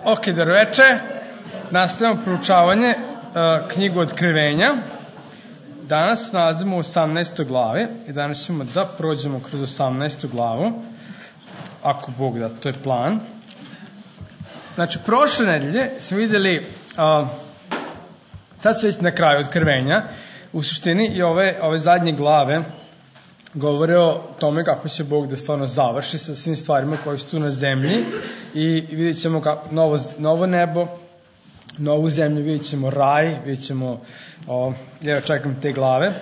Ok, dobro veče. Nastavljamo proučavanje knjigu Otkrivenja. Danas nalazimo u 18. glavi i danas ćemo da prođemo kroz 18. glavu. Ako Bog da, to je plan. Znači, prošle nedelje smo vidjeli, sad su već na kraju Otkrivenja, u suštini i ove zadnje glave govore o tome kako će Bog da stvarno završi sa svim stvarima koje su tu na zemlji i vidjet ćemo novo nebo, novu zemlju, vidjet ćemo raj, vidjet ćemo, ja čekam te glave,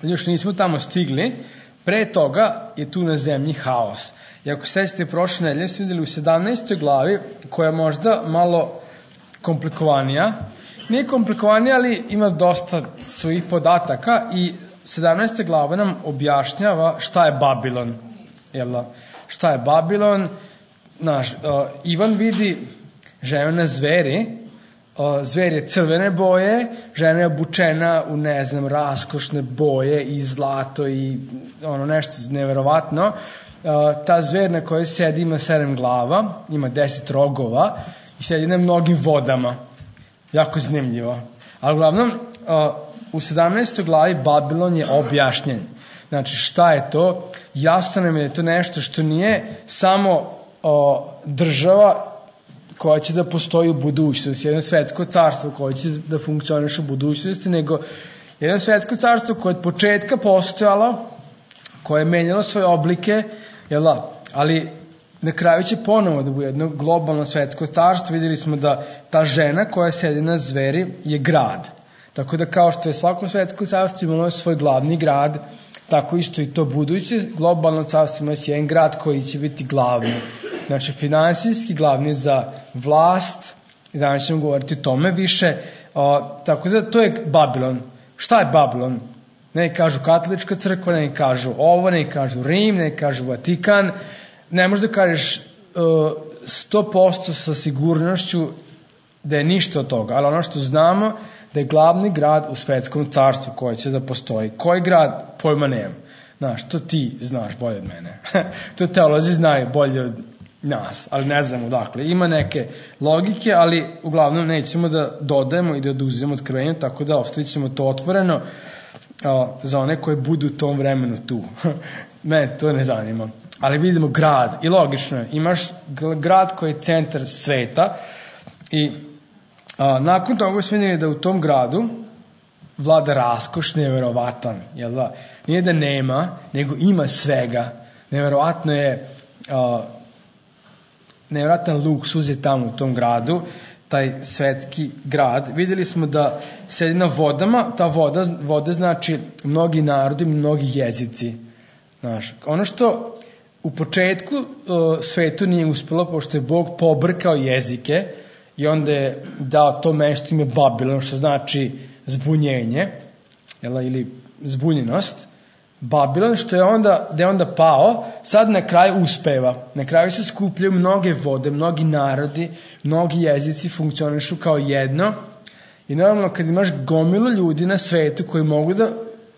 još nismo tamo stigli. Pre toga je tu na zemlji haos. I ako sećate prošle nedelje, smo vidjeli u 17. glavi, koja je možda malo komplikovanija, nije komplikovanija, ali ima dosta svojih podataka i 17. glava nam objašnjava šta je Babilon. Šta je Babilon? Ivan vidi ženu na zveri, zver je crvene boje, žena je obučena u, raskošne boje i zlato i nešto neverovatno. Ta zver na kojoj sedi ima 7 glava, ima 10 rogova i sedi na mnogim vodama. Jako zanimljivo. Ali uglavnom, u 17. glavi Babilon je objašnjen. Znači, šta je to? Jasno nam je da je to nešto što nije samo država koja će da postoji u budućnosti, jedno svetsko carstvo koje će da funkcioniše u budućnosti, nego jedno svetsko carstvo koje je od početka postojalo, koje je menjalo svoje oblike, ali na kraju će ponovo da bude jedno globalno svetsko carstvo. Vidjeli smo da ta žena koja sedi na zveri je grad. Tako da kao što je svako svetsko carstvo imalo svoj glavni grad, tako isto i to buduće globalno carstvo ima jedan grad koji će biti glavni. Znači, finansijski glavni za vlast, i danas ćemo govoriti o tome više. Tako da to je Babilon. Šta je Babilon? Ne kažu katolička crkva, ne kažu ovo, ne kažu Rim, ne kažu Vatikan. Ne možeš da kažeš 100% sa sigurnošću da je ništa od toga, ali ono što znamo da je glavni grad u svetskom carstvu koji će da postoji. Koji grad? Pojma nemam. Znaš, to ti znaš bolje od mene. To teolozi znaju bolje od nas, ali ne znamo dakle. Ima neke logike, ali uglavnom nećemo da dodajemo i da oduzemo otkrivenje, tako da ostavit ćemo to otvoreno za one koji budu u tom vremenu tu. Mene to ne zanima. Ali vidimo grad i logično je, imaš grad koji je centar sveta i nakon toga smo vidjeli da u tom gradu vlada raskoš neverovatan, jel da? Nije da nema, nego ima svega. Neverovatno je, neverovatan luksuz je tamo u tom gradu, taj svetski grad. Vidjeli smo da sedi na vodama, ta voda znači mnogi narodi, mnogi jezici. Znaš, ono što u početku svetu nije uspjelo, pošto je Bog pobrkao jezike i onda je dao to mesto ime Babilon, što znači zbunjenje, ili zbunjenost. Babilon, što je onda pao, sad na kraju uspeva. Na kraju se skupljaju mnoge vode, mnogi narodi, mnogi jezici funkcionišu kao jedno. I normalno kad imaš gomilu ljudi na svetu koji mogu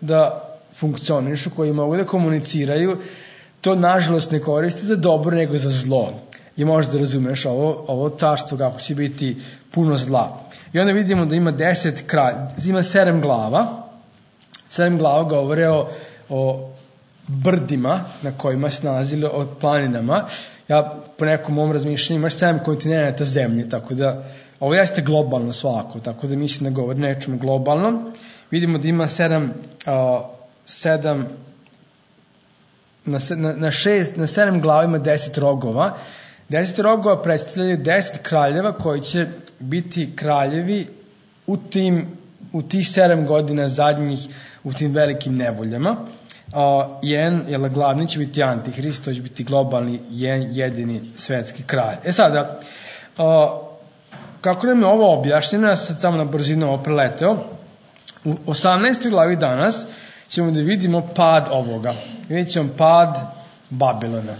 da funkcionišu, koji mogu da komuniciraju, to nažalost ne koristi za dobro nego za zlo. I možda razumeš ovo carstvo kako će biti puno zla. I onda vidimo da ima 7 glava. 7 glava govore o brdima na kojima se nalazili, o planinama. Ja po nekom mom razmišljanju imaš 7 kontinenta zemlje, tako da ovo jeste globalno svako, tako da mislim da govori nečemu globalno. Vidimo da ima 7 glava ima 10 rogova. 10 rogova predstavljaju 10 kraljeva koji će biti kraljevi u tih 7 godina zadnjih u tim velikim nevoljama. Glavni će biti Antihrist, to će biti globalni jedini svetski kralj. Sada, kako nam je ovo objašnjeno, ja sad samo na brzinu ovo preleteo, u 18. glavi danas ćemo da vidimo pad ovoga. Vidjet ćemo pad Babilona.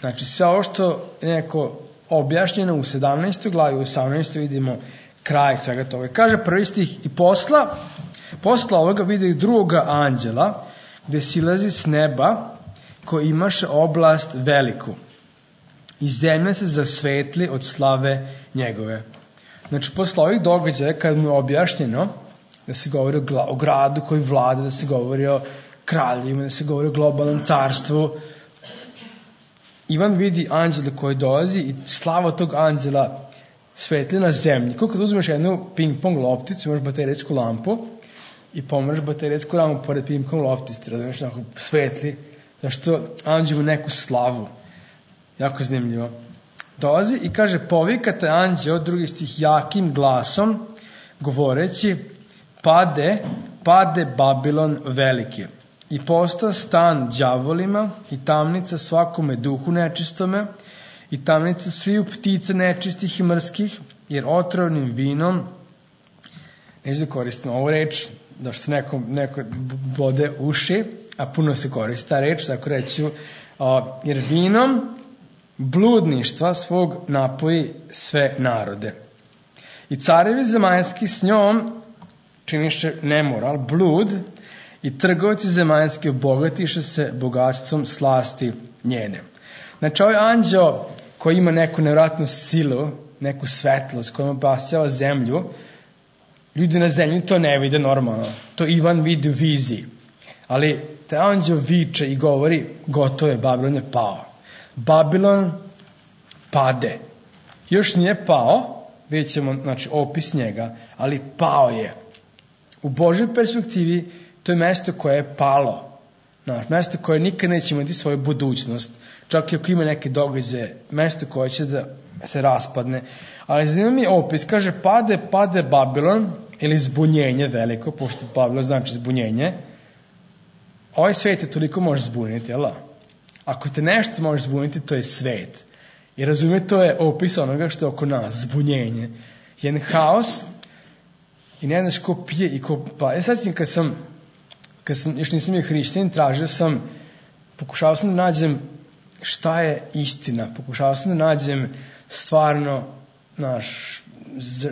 Znači, sve ovo što je neko objašnjeno u 17. glavi, u 18. vidimo kraj svega toga. Kaže prvi stih, i posla ovoga vidi drugoga anđela, gde silazi s neba, koji imaše oblast veliku. i zemlja se zasvetli od slave njegove. Znači, posle ovih događaja, kad mu je objašnjeno da se govori o gradu koji vlada, da se govori o kraljima, da se govori o globalnom carstvu, Ivan vidi anđela koji dolazi i slava tog anđela svetli na zemlji. Kako kad uzmeš jednu ping-pong lopticu, imaš baterijsku lampu i pomeraš baterijsku lampu pored ping-pong loptice, razumiješ, onako svetli, zašto anđel ima neku slavu. Jako zanimljivo. Dolazi i kaže, povikate anđeo, drugi stih, jakim glasom, govoreći, pade Babilon veliki i posta stan đavolima i tamnica svakome duhu nečistome i tamnica sviju ptica nečistih i mrskih, jer otrovnim vinom, neću da koristim ovu reč, da što neko bode uši, a puno se koristi ta reč, tako reću, jer vinom bludništva svog napoji sve narode. I carevi zemaljski s njom činiše nemoral, blud, i trgovci zemaljski obogatiše se bogatstvom slasti njene. Znači, ovaj anđeo koji ima neku nevratnu silu, neku svetlost kojom obasjava zemlju, ljudi na zemlji to ne vide normalno. To Ivan vidi u viziji. Ali taj anđeo viče i govori, gotovo je, Babilon je pao. Babilon pade. Još nije pao, vidjet ćemo, znači, opis njega, ali pao je. U Božoj perspektivi to je mesto koje je palo. Znači, mesto koje nikad neće imati svoju budućnost. Čak i ako ima neke događaje, mesto koje će da se raspadne. Ali zanima mi opis, kaže, pade Babilon, ili zbunjenje veliko, pošto Babilon znači zbunjenje. Ovaj svet je toliko može zbuniti, jel da? Ako te nešto može zbuniti, to je svet. I razumije, to je opis onoga što je oko nas, zbunjenje. Jedan haos i ne znaš ko pije i ko pa. Sad sam, kad sam još nisam bio hrišćanin, pokušao sam da nađem šta je istina, pokušao sam da nađem stvarno,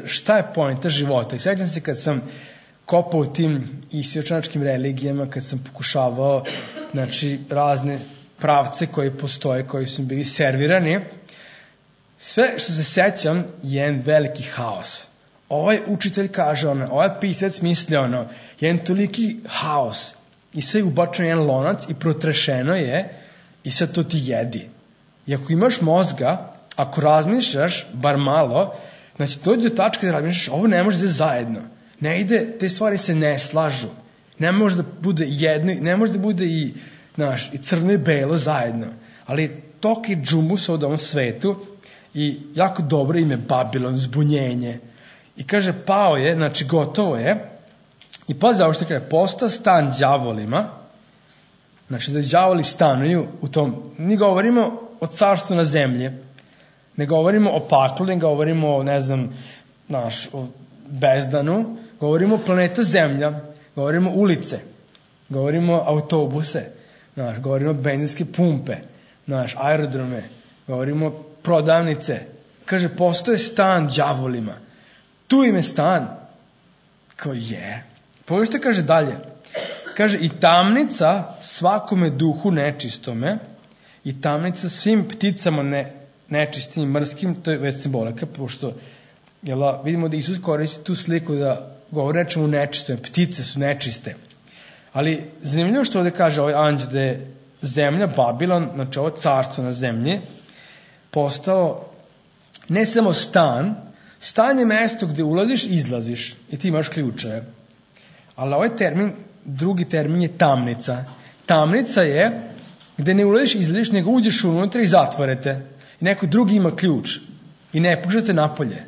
šta je poenta života. I sjećam se kad sam kopao u tim istočnačkim religijama, kad sam pokušavao, znači, razne pravce koji postoje, koji su bili servirani, sve što se sećam je jedan veliki haos. Ovaj učitelj kaže ovaj pisac misli jedan toliki haos i sve je ubačeno jedan lonac i protrešeno je i sad to ti jedi. I ako imaš mozga, ako razmišljaš, bar malo, znači dođe do tačke da razmišljaš, ovo ne može da je zajedno. Ne ide, te stvari se ne slažu. Ne može da bude jedno, ne može da bude i crno i belo zajedno. Ali toki džumbus od ovom svetu i jako dobro ime Babilon, zbunjenje. I kaže, pao je, znači gotovo je. I pazi ovo što kaže, posta stan đavolima, znači da đavoli stanuju u tom, ne govorimo o carstvu na zemlji, ne govorimo o paklu, ne govorimo o, o bezdanu, govorimo o planeta Zemlja, govorimo ulice, govorimo autobuse, govorimo benzinske pumpe, aerodrome, govorimo prodavnice. Kaže, postoje stan đavolima. Tu im je stan. Kao je. Pogledajte, kaže dalje. Kaže, i tamnica svakome duhu nečistome, i tamnica svim pticama nečistim i mrskim, to je već simbolika, pošto vidimo da Isus koristi tu sliku da govori nečemu nečistome, ptice su nečiste. Ali zanimljivo što ovdje kaže ovaj anđel da je zemlja Babilon, znači ovo carstvo na zemlji, postao ne samo stan je mesto gde ulaziš i izlaziš i ti imaš ključeve. Ali ovaj termin, drugi termin je tamnica. Tamnica je gde ne ulaziš i izlaziš, nego uđeš unutra i zatvorete. I neko drugi ima ključ i ne puštate napolje.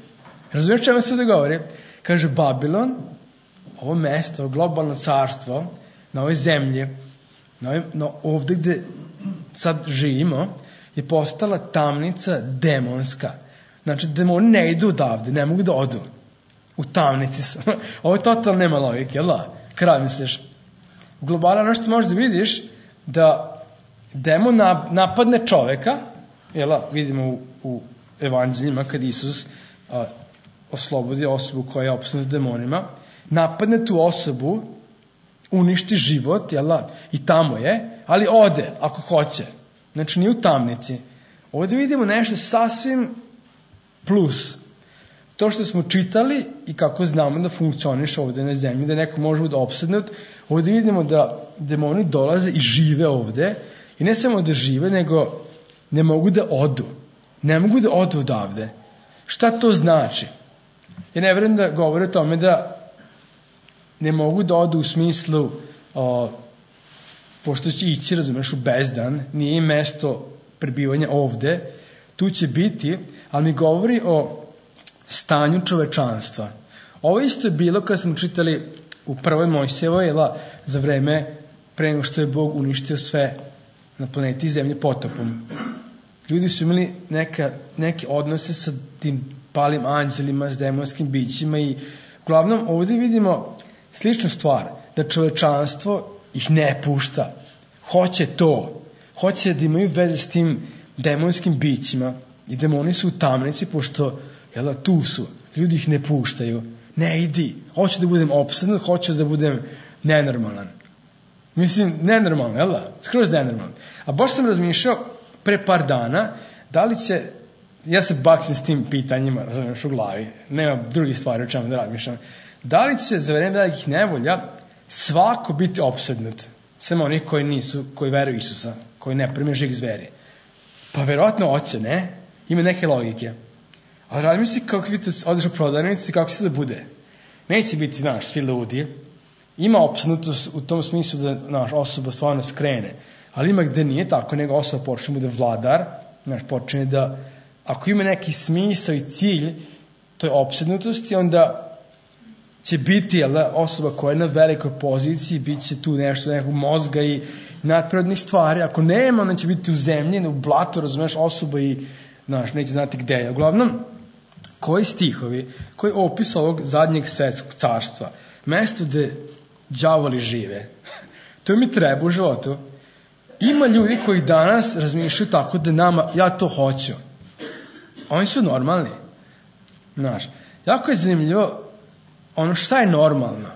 Razumiješ čemu se da govori? Kaže, Babilon, ovo mesto, ovo globalno carstvo, na ovoj zemlji, ovdje gde sad živimo, je postala tamnica demonska. Znači, demoni ne idu odavde, ne mogu da odu. U tamnici su. Ovo je totalno nema logike, jel da? Kada misliš? U globalu ono što možeš da vidiš, da demon napadne čoveka, jel da? Vidimo u evanđeljima kad Isus oslobodi osobu koja je opsjednuta demonima, napadne tu osobu, uništi život, jel da? I tamo je, ali ode, ako hoće. Znači, nije u tamnici. Ovdje vidimo nešto sasvim plus. To što smo čitali i kako znamo da funkcioniše ovdje na zemlji, da neko može biti opsednut, ovdje vidimo da demoni dolaze i žive ovdje i ne samo da žive, nego ne mogu da odu. Ne mogu da odu odavde. Šta to znači? Ja ne vjerujem da govore o tome da ne mogu da odu u smislu pošto će ići, razumeš, u bezdan, nije im mesto prebivanja ovde, tu će biti, ali mi govori o stanju čovečanstva. Ovo isto je bilo kad smo čitali u prvoj Mojsijevoj za vreme pre nego što je Bog uništio sve na planeti Zemlje potopom. Ljudi su imali neke odnose sa tim palim anđelima, s demonskim bićima i uglavnom ovdje vidimo sličnu stvar, da čovečanstvo ih ne pušta. Hoće to. Hoće da imaju veze s tim demonskim bićima i demoni su u tamnici pošto tu su. Ljudi ih ne puštaju. Ne idi. Hoću da budem opsednut, hoću da budem nenormalan. Mislim, nenormalan, skroz nenormalan. A baš sam razmišljao pre par dana da li će, ja se baksim s tim pitanjima, razumiješ, u glavi, nema drugih stvari o čemu da razmišljam, da li će za vreme velikih nevolja svako biti opsednut, samo onih koji nisu, koji veruju Isusa, koji ne prime žig zveri. Pa verovatno hoće, ne? Ima neke logike. Ali radim si kako vidite, odeš u prodavnicu i kako se da bude. Neće biti, svi ludi. Ima opsednutost u tom smislu da osoba stvarno skrene. Ali ima gde nije tako, nego osoba počne bude vladar, počne da, ako ima neki smisao i cilj toj opsednutosti, onda će biti osoba koja je na velikoj poziciji, bit će tu nešto, nekog mozga i nadprirodnih stvari. Ako nema, onda će biti u zemlji, u blatu, razumeš, osoba i neće znati gde je. Uglavnom, koji stihovi, koji opis ovog zadnjeg svetskog carstva, mesto gde đavoli žive, to mi treba u životu. Ima ljudi koji danas razmišljaju tako da nama, ja to hoću. Oni su normalni. Jako je zanimljivo šta je normalno.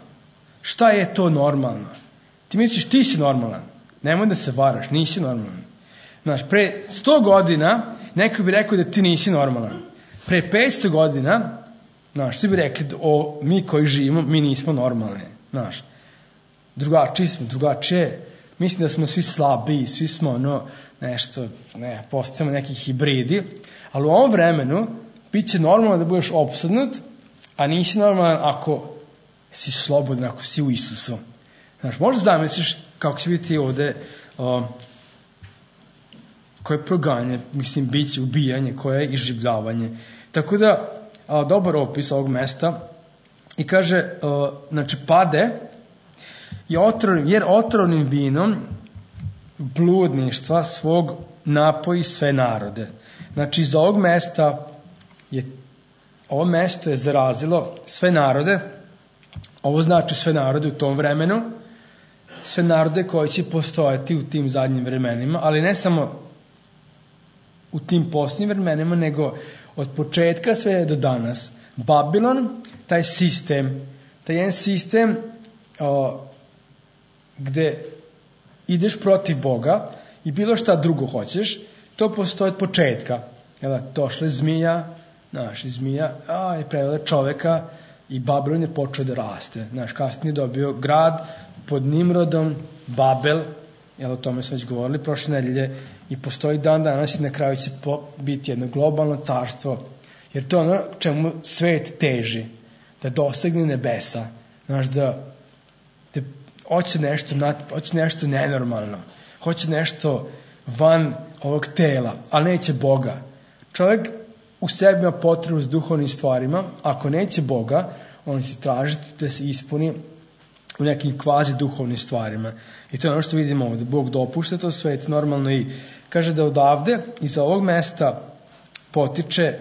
Šta je to normalno? Ti misliš ti si normalan. Nemoj da se varaš, nisi normalan. Pre 100 godina neko bi rekao da ti nisi normalan. Pre 500 godina svi bi rekli mi koji živimo, mi nismo normalni. Drugačiji smo, drugačije. Mislim da smo svi slabiji, svi smo postajemo neki hibridi, ali u ovom vremenu bit će normalno da budeš opsednut, a nisi normalan ako si slobodan, ako si u Isusu. Možda zamisliš kako će biti ovde koje proganje, bit će ubijanje, koje je iživljavanje. Tako da, dobar opis ovog mesta i kaže, pade jer otrovnim vinom bludništva svog napoji sve narode. Iz ovog mesta ovo mesto je zarazilo sve narode. Ovo znači sve narode u tom vremenu, sve narode koji će postojati u tim zadnjim vremenima, ali ne samo u tim posljednjim vremenima, nego od početka sve do danas. Babilon, taj jedan sistem gde ideš protiv Boga i bilo šta drugo hoćeš, to postoji od početka. Došla je zmija, zmija je prevela čoveka i Babilon je počeo da raste. Kasnije je dobio grad pod Nimrodom, Babel, o tome smo već govorili prošle nedelje, i postoji dan danas i na kraju će biti jedno globalno carstvo, jer to je ono čemu svet teži, da dosegne nebesa, da hoće nešto nenormalno, hoće nešto van ovog tela, ali neće Boga. Čovjek u sebi ima potrebu s duhovnim stvarima, ako neće Boga, on će tražiti da se ispuni u nekim kvazi duhovnim stvarima. I to je ono što vidimo ovdje. Bog dopušta to svet normalno i kaže da odavde iz ovog mesta potiče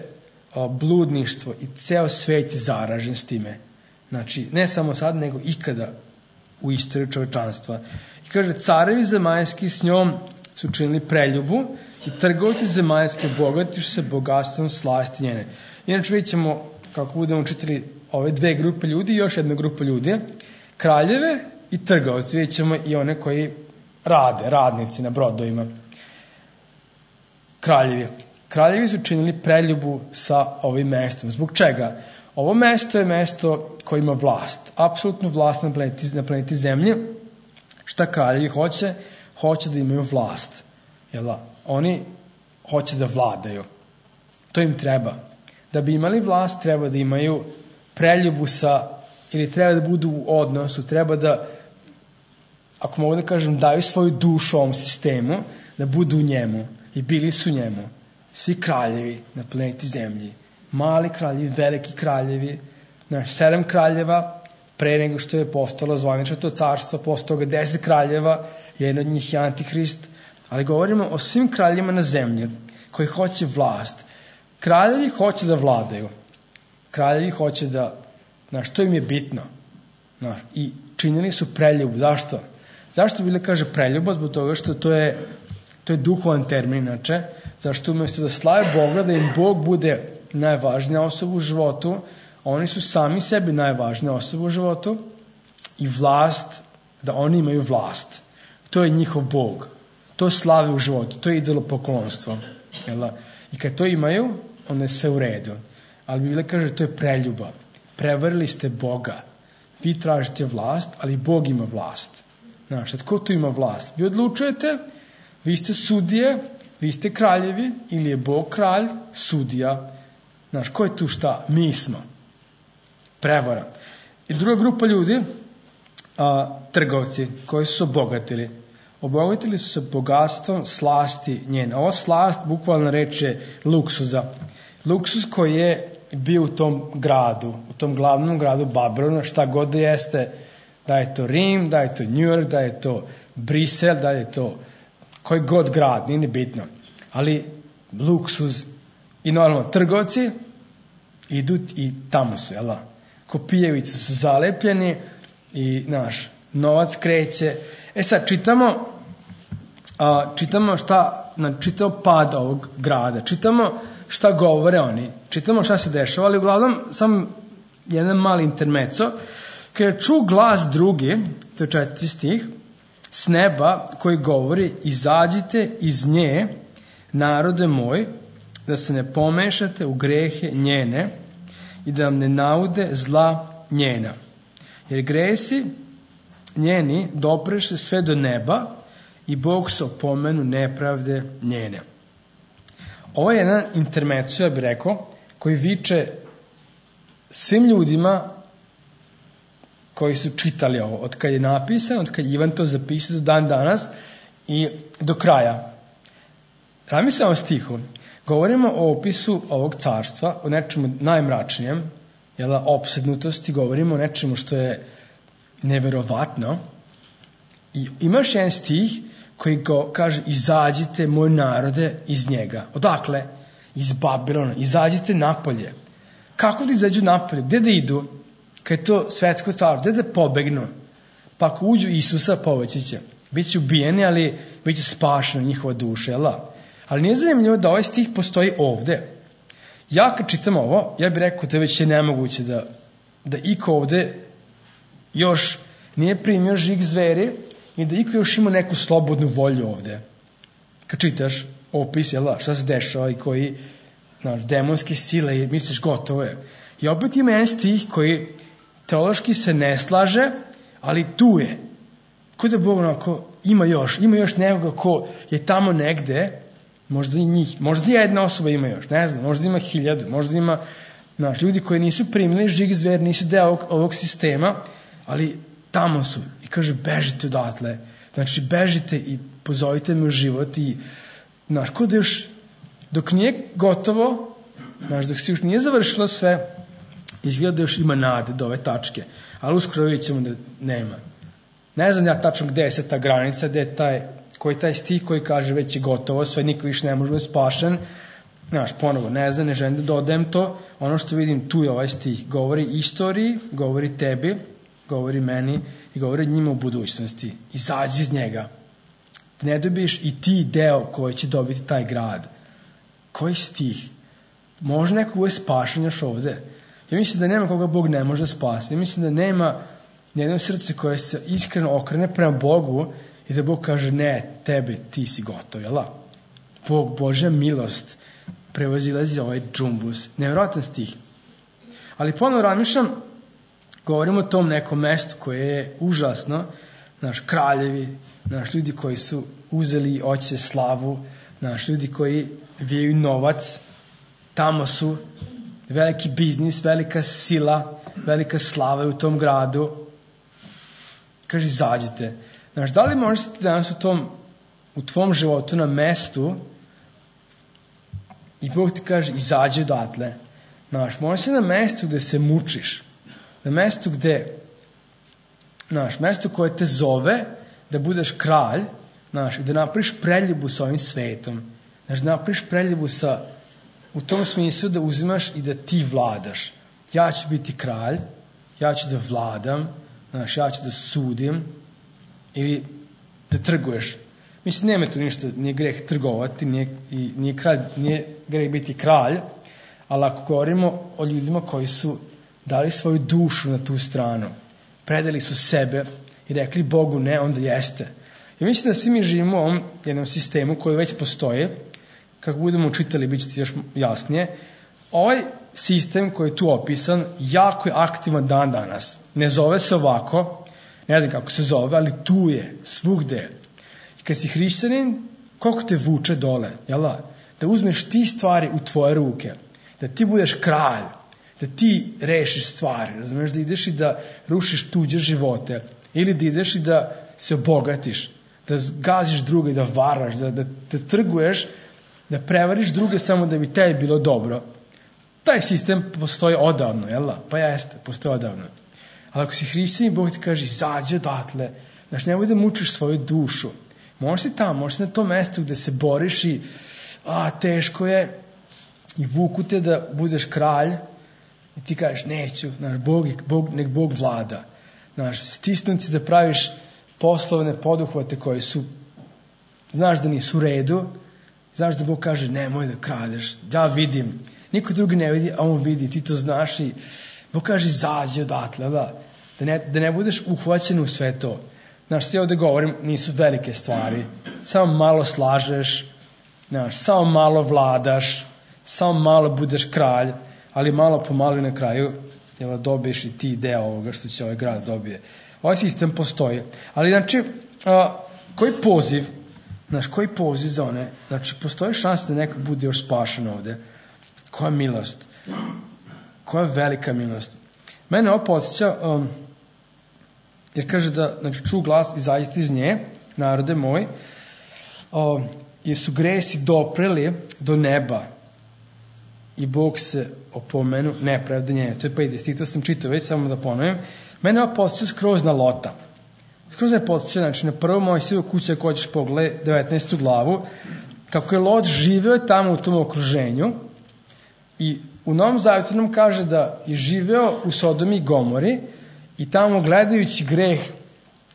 bludništvo i ceo svet je zaražen s time. Ne samo sad, nego ikada u istoriji čovečanstva. I kaže, carevi zemaljski s njom su činili preljubu i trgovci zemaljske bogatiš se bogatstvom slasti njene. Inače vidjet ćemo, kako budemo čitali ove dve grupe ljudi i još jedna grupa ljudi, kraljeve i trgovci. Vidjet ćemo i one koji rade, radnici na brodovima. Kraljevi. kraljevi su činili preljubu sa ovim mestom. Zbog čega? Ovo mesto je mesto koje ima vlast, apsolutnu vlast na planeti Zemlji. Šta kraljevi hoće? Hoće da imaju vlast. Oni hoće da vladaju. To im treba. Da bi imali vlast, treba da imaju preljubu ili treba da budu u odnosu, treba da, ako mogu da kažem, daju svoju dušu ovom sistemu, da budu u njemu. I bili su u njemu. Svi kraljevi na planeti Zemlji. Mali kraljevi, veliki kraljevi, 7 kraljeva, pre nego što je postalo zvanično to carstvo, posle toga 10 kraljeva, jedan od njih je Antihrist, ali govorimo o svim kraljevima na zemlji koji hoće vlast. Kraljevi hoće da vladaju. Kraljevi hoće da, to im je bitno. I činili su preljubu. Zašto? Zašto Biblija kaže preljuba? Zbog toga što to je duhovan termin, inače. Zašto umjesto da slave Boga, da im Bog bude najvažnija osoba u životu, oni su sami sebi najvažnija osoba u životu i vlast, da oni imaju vlast. To je njihov Bog. To slave u životu. To je idolopoklonstvo. I kad to imaju, onda je sve u redu. Ali Biblija kaže to je preljuba. Prevarili ste Boga. Vi tražite vlast, ali Bog ima vlast. Ko tu ima vlast? Vi odlučujete, vi ste sudije, vi ste kraljevi, ili je Bog kralj, sudija. Ko je tu šta? Mi smo. Prevara. I druga grupa ljudi, trgovci, koji su se obogatili. Obogatili su se bogatstvom slasti njene. Ova slast, bukvalno reč je luksuza. Luksuz koji je bio u tom gradu, u tom glavnom gradu Babilona, šta god da jeste, da je to Rim, da je to New York, da je to Brisel, da je to koji god grad, nije bitno. Ali luksuz i normalno trgovci idu i tamo su, ko pijevice su zalepljeni i novac kreće. Sad čitamo čitamo pad ovog grada, čitamo šta govore oni, čitamo šta se dešava, ali uglavnom sam jedan mali intermeco, kada ču glas drugi, to je 4. stih, s neba koji govori, izađite iz nje, narode moj, da se ne pomešate u grehe njene i da vam ne naude zla njena. Jer gresi njeni dopreše sve do neba i Bog se opomenu nepravde njene. Ovo je jedan intermeco, ja bih rekao, koji viče svim ljudima koji su čitali ovo, od kad je napisan, od kad Ivan to zapisao do dan danas i do kraja. Razmislim o ovom stihu. Govorimo o opisu ovog carstva, o nečemu najmračnijem, opsednutosti, govorimo o nečemu što je neverovatno. I imaš jedan stih koji kaže, izađite moj narode iz njega. Odakle? Iz Babilona. Izađite napolje. Kako da izađu napolje? Gde da idu? Kad je to svetsko carstvo, gde da pobegnu? Pa ako uđu Isusa, poveći će. Biće ubijeni, ali biće spašena njihova duša, Ali nije zanimljivo da ovaj stih postoji ovde. Ja kad čitam ovo, ja bih rekao da već je nemoguće da iko ovde još nije primio žig zveri i da iko još ima neku slobodnu volju ovde. Kad čitaš opis, šta se dešava i koji demonske sile i misliš gotovo je. I opet ima jedan stih koji teološki se ne slaže, ali tu je. Ko da Bog ima još nekoga ko je tamo negde, možda i njih, možda i jedna osoba ima još, ne znam, možda ima 1000, možda ima ljudi koji nisu primili žig zver, nisu deo ovog sistema, ali tamo su. I kaže, bežite odatle. Znači, bežite i pozovite me u život i, ko da još, dok nije gotovo, dok se još nije završilo sve, izgleda da još ima nade do ove tačke. Ali uskoro vidjet ćemo da nema. Ne znam ja tačno gde je se ta granica, koji je taj stih koji kaže već je gotovo, sve niko više ne može biti spašen. Ponovo, ne znam, ne želim da dodajem to. Ono što vidim, tu je ovaj stih. Govori istoriji, govori tebi, govori meni i govori njima u budućnosti. Izađi iz njega. Da ne dobiješ i ti deo koji će dobiti taj grad. Koji stih? Može neko bude spašen još ovde? Ja mislim da nema koga Bog ne može spasiti. Ja mislim da nema nijedno srce koje se iskreno okrene prema Bogu i da Bog kaže, ne, tebe, ti si gotov, Božja milost prevazilazi ovaj džumbus. Nevjerojatan stih. Ali ponovno razmišljam, govorimo o tom nekom mestu koje je užasno, naš kraljevi, naš ljudi koji su uzeli oće slavu, naš ljudi koji vijaju novac, tamo su veliki biznis, velika sila, velika slava u tom gradu. Kaže, izađite. Znaš, da li možete danas u tvom životu na mestu i Bog ti kaže, izađi odatle. Znaš, možeš na mestu gde se mučiš, na mestu gde, znaš, mesto koje te zove da budeš kralj, znaš, i da napraviš preljubu sa ovim svetom. Znaš, da napraviš preljubu u tom smislu da uzimaš i da ti vladaš. Ja ću biti kralj, ja ću da vladam, znaš, ja ću da sudim ili da trguješ. Mislim, nema tu ništa, nije greh trgovati, nije greh biti kralj, ali ako govorimo o ljudima koji su dali svoju dušu na tu stranu, predali su sebe i rekli Bogu ne, onda jeste. I mislim da svi mi živimo u ovom jednom sistemu koji već postoji, kako budemo učitali, bit će ti još jasnije. Ovaj sistem koji je tu opisan jako je aktivan dan danas. Ne zove se ovako, ne znam kako se zove, ali tu je, svugde je. I kad si hrišćanin, koliko te vuče dole, jel da uzmeš ti stvari u tvoje ruke, da ti budeš kralj, da ti rešiš stvari, razumiješ, da ideš i da rušiš tuđe živote, ili da ideš i da se obogatiš, da gaziš druge, da varaš, da trguješ, da prevariš druge samo da bi tebi bilo dobro. Taj sistem postoji odavno, jel da? Pa jeste, postoji odavno. Ali ako si hrišćanin, Bog ti kaže, izađi odatle, znaš, nemoj da mučiš svoju dušu. Možeš si tamo, možeš na tom mestu gde se boriš i teško je i vuku te da budeš kralj i ti kažeš, neću, znaš, nek Bog vlada. Znaš, stisnuci da praviš poslovne poduhvate koji su, znaš da nisu u redu, znaš da Bog kaže, nemoj da kradeš, ja vidim, niko drugi ne vidi, a on vidi, ti to znaš i Bog kaže, izađi odatle, da ne budeš uhvaćen u sve to. Znaš, sve ovde govorim, nisu velike stvari, samo malo slažeš, znaš, samo malo vladaš, samo malo budeš kralj, ali malo po malo na kraju dobiješ i ti deo ovoga što će ovaj grad dobije. Ovaj sistem postoji. Ali, znači, koji poziv za one? Znači, postoji šansa da neko bude još spašen ovde. Koja milost? Koja velika milost? Mene ovo podsjeća, jer kaže da, znači, ču glas, izađite iz nje, narode moj, jer su gresi dopreli do neba i Bog se opomenu nepravde njene. To je 5. stih, to sam čitao već, samo da ponovim. Mene ovo podsjeća skroz na Lota. Skroz me podsjeća, znači, na prvo Mojsijevu kuća ako hoćeš pogledaj 19. glavu, kako je Lot živeo tamo u tom okruženju i u Novom Zavjetu nam kaže da je živeo u Sodomi i Gomori i tamo gledajući greh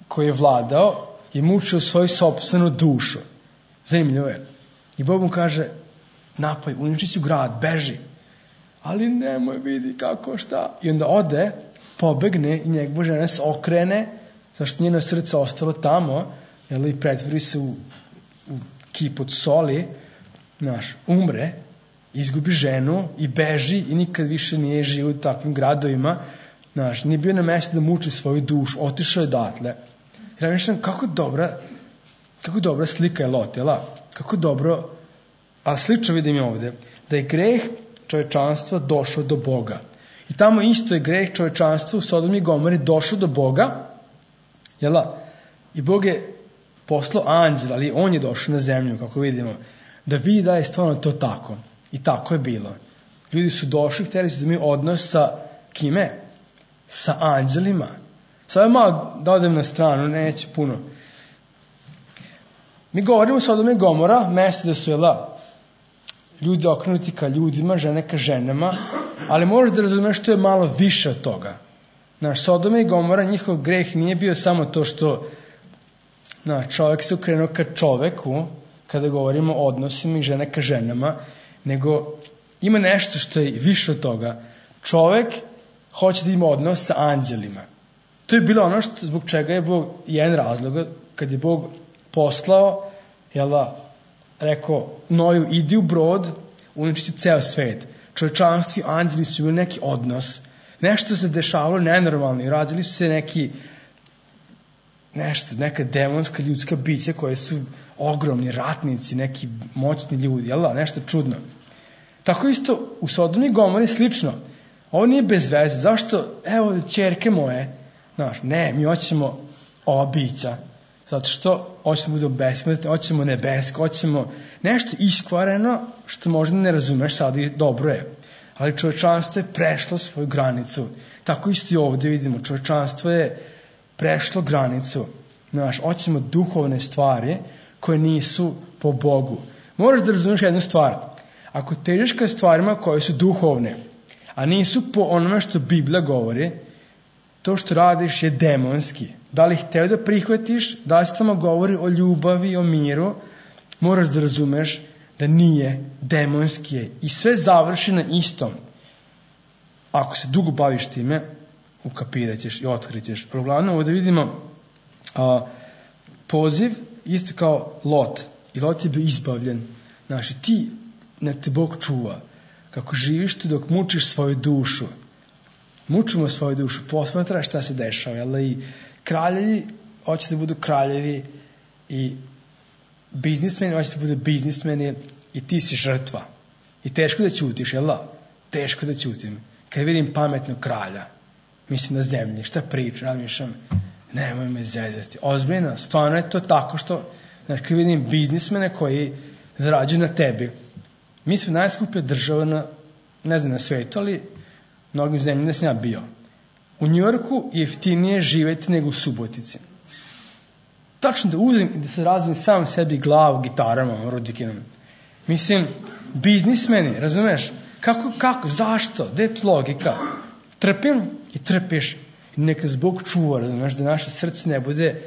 koji je vladao je mučio svoju sopstvenu dušu. Zanimljivo je. I Bog mu kaže, napoj, uniči si u grad, beži. Ali nemoj, vidi kako, šta. I onda ode, pobegne i njegova žena se okrene, zašto njeno srce ostalo tamo, i pretvori se u kip od soli, umre, izgubi ženu i beži i nikad više nije živio u takvim gradovima, nije bio na mjestu da muči svoju dušu, otišao je odatle. Ja mislim, kako dobra slika je Lot, kako dobro, a slično vidim je ovde, da je greh čovečanstva došao do Boga. I tamo isto je greh čovečanstva u Sodomi i Gomori došao do Boga, i Bog je poslao anđela, ali on je došao na zemlju, kako vidimo, da vidi da je stvarno to tako. I tako je bilo. Ljudi su došli, htjeli su da imaju odnos sa kime? Sa anđelima. Sada malo da odem na stranu, neće puno. Mi govorimo o Sodomi i Gomora, mjesto da su ljudi okrenuti ka ljudima, žene ka ženama, ali možeš da razumeš što je malo više od toga. Sodoma i Gomora, njihov greh nije bio samo to što čovjek se okrenuo ka čoveku, kada govorimo o odnosima i žene ka ženama, nego ima nešto što je više od toga. Čovjek hoće da ima odnos sa anđelima. To je bilo ono zbog čega je Bog, jedan razlog, kad je Bog poslao, rekao Noju, idi u brod, uništiti ceo svet. Čovečanstvo i anđeli su imali neki odnos. Nešto se dešavalo nenormalno i razili su se neka demonska ljudska bića koje su ogromni ratnici, neki moćni ljudi, jel da, nešto čudno. Tako isto u Sodomu i Gomori slično. Ovo nije bez veze. Zašto? Evo, ćerke moje. Znaš, ne, mi hoćemo ova bića. Zato što hoćemo da budemo besmrtni, hoćemo nebesko, hoćemo nešto iskvareno što možda ne razumeš sad i dobro je. Ali čovečanstvo je prešlo svoju granicu. Tako isto i ovdje vidimo. Čovečanstvo je prešlo granicu. Znaš, hoćemo duhovne stvari koje nisu po Bogu. Moraš da razumeš jednu stvar. Ako težiš ka stvarima koje su duhovne, a nisu po onome što Biblija govori, to što radiš je demonski. Da li hteo da prihvatiš, da li se tamo govori o ljubavi, o miru, moraš da razumeš da nije, demonski je. I sve završi na istom. Ako se dugo baviš time, ukapirat ćeš i otkrit ćeš. Uglavnom, ovdje vidimo poziv isto kao Lot. I Lot je bio izbavljen. Znači, ti ne te Bog čuva. Kako živiš tu dok mučiš svoju dušu. Mučimo svoju dušu. Posmatra šta se dešava. Jel? I kraljevi hoće da budu kraljevi i biznismeni hoće da budu biznismeni i ti si žrtva. I teško da ćutiš, jel da? Teško da ćutim. Kad vidim pametnog kralja, mislim na zemlji, šta pričam, razmišljam, nemoj me zezati. Ozbiljno, stvarno je to tako što, znači, kad vidim biznismene koji zarađuju na tebi. Mi smo najskuplja država na svetu, ali mnogim zemljama da sam ja bio. U Njujorku je jeftinije živjeti nego u Subotici. Tačno da uzem i da se razvijem sam sebi glavu gitarama, rudikinom. Mislim, biznismeni, razumeš? Kako, zašto? Gde je tu logika? Trpim i trpiš. I neka Bog čuva, razumeš, da naše srce ne bude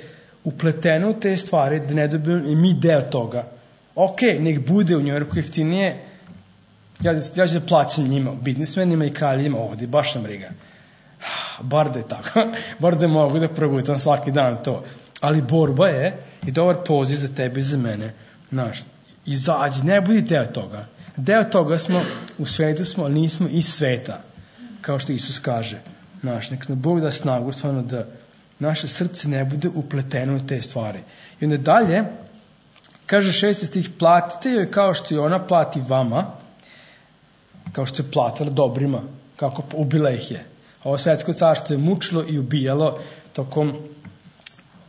upleteno u te stvari, da ne dobijemo i mi deo toga. Ok, nek bude u Njujorku jeftinije, ja ću da plaćam njima, biznismenima i kraljima ovdje, baš nam briga. Bar da je tako, bar da mogu da progutam svaki dan to. Ali borba je i dobar poziv za tebe i za mene. Znaš, izađi, ne budi deo toga. Deo toga smo, u svetu smo, ali nismo iz sveta, kao što Isus kaže. Znaš, nek nam Bog da snagu, stvarno da naše srce ne bude upleteno u te stvari. I onda dalje, kaže 6. stih, platite joj kao što i ona plati vama, kao što je platila dobrima, kako ubila ih je. Ovo svetsko carstvo je mučilo i ubijalo tokom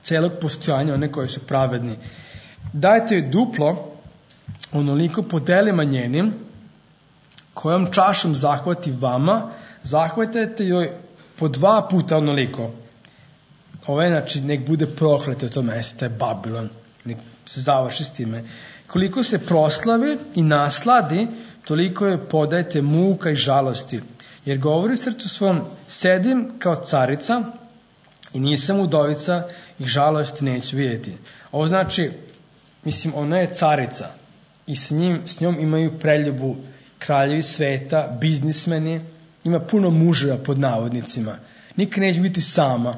celog postojanja one koji su pravedni. Dajte joj duplo, onoliko po delima njenim, kojom čašom zahvati vama, zahvatajte joj po 2 puta onoliko. Ovo je, znači, nek bude prokleto to mesto, to je Babilon, nek se završi s time. Koliko se proslavi i nasladi, toliko joj podajte muka i žalosti. Jer govori u srcu svom, sedim kao carica i nisam udovica i žalosti neću vidjeti. Ovo znači, mislim, ona je carica i s njom imaju preljubu kraljevi sveta, biznismeni, ima puno muževa pod navodnicima. Nikad neće biti sama.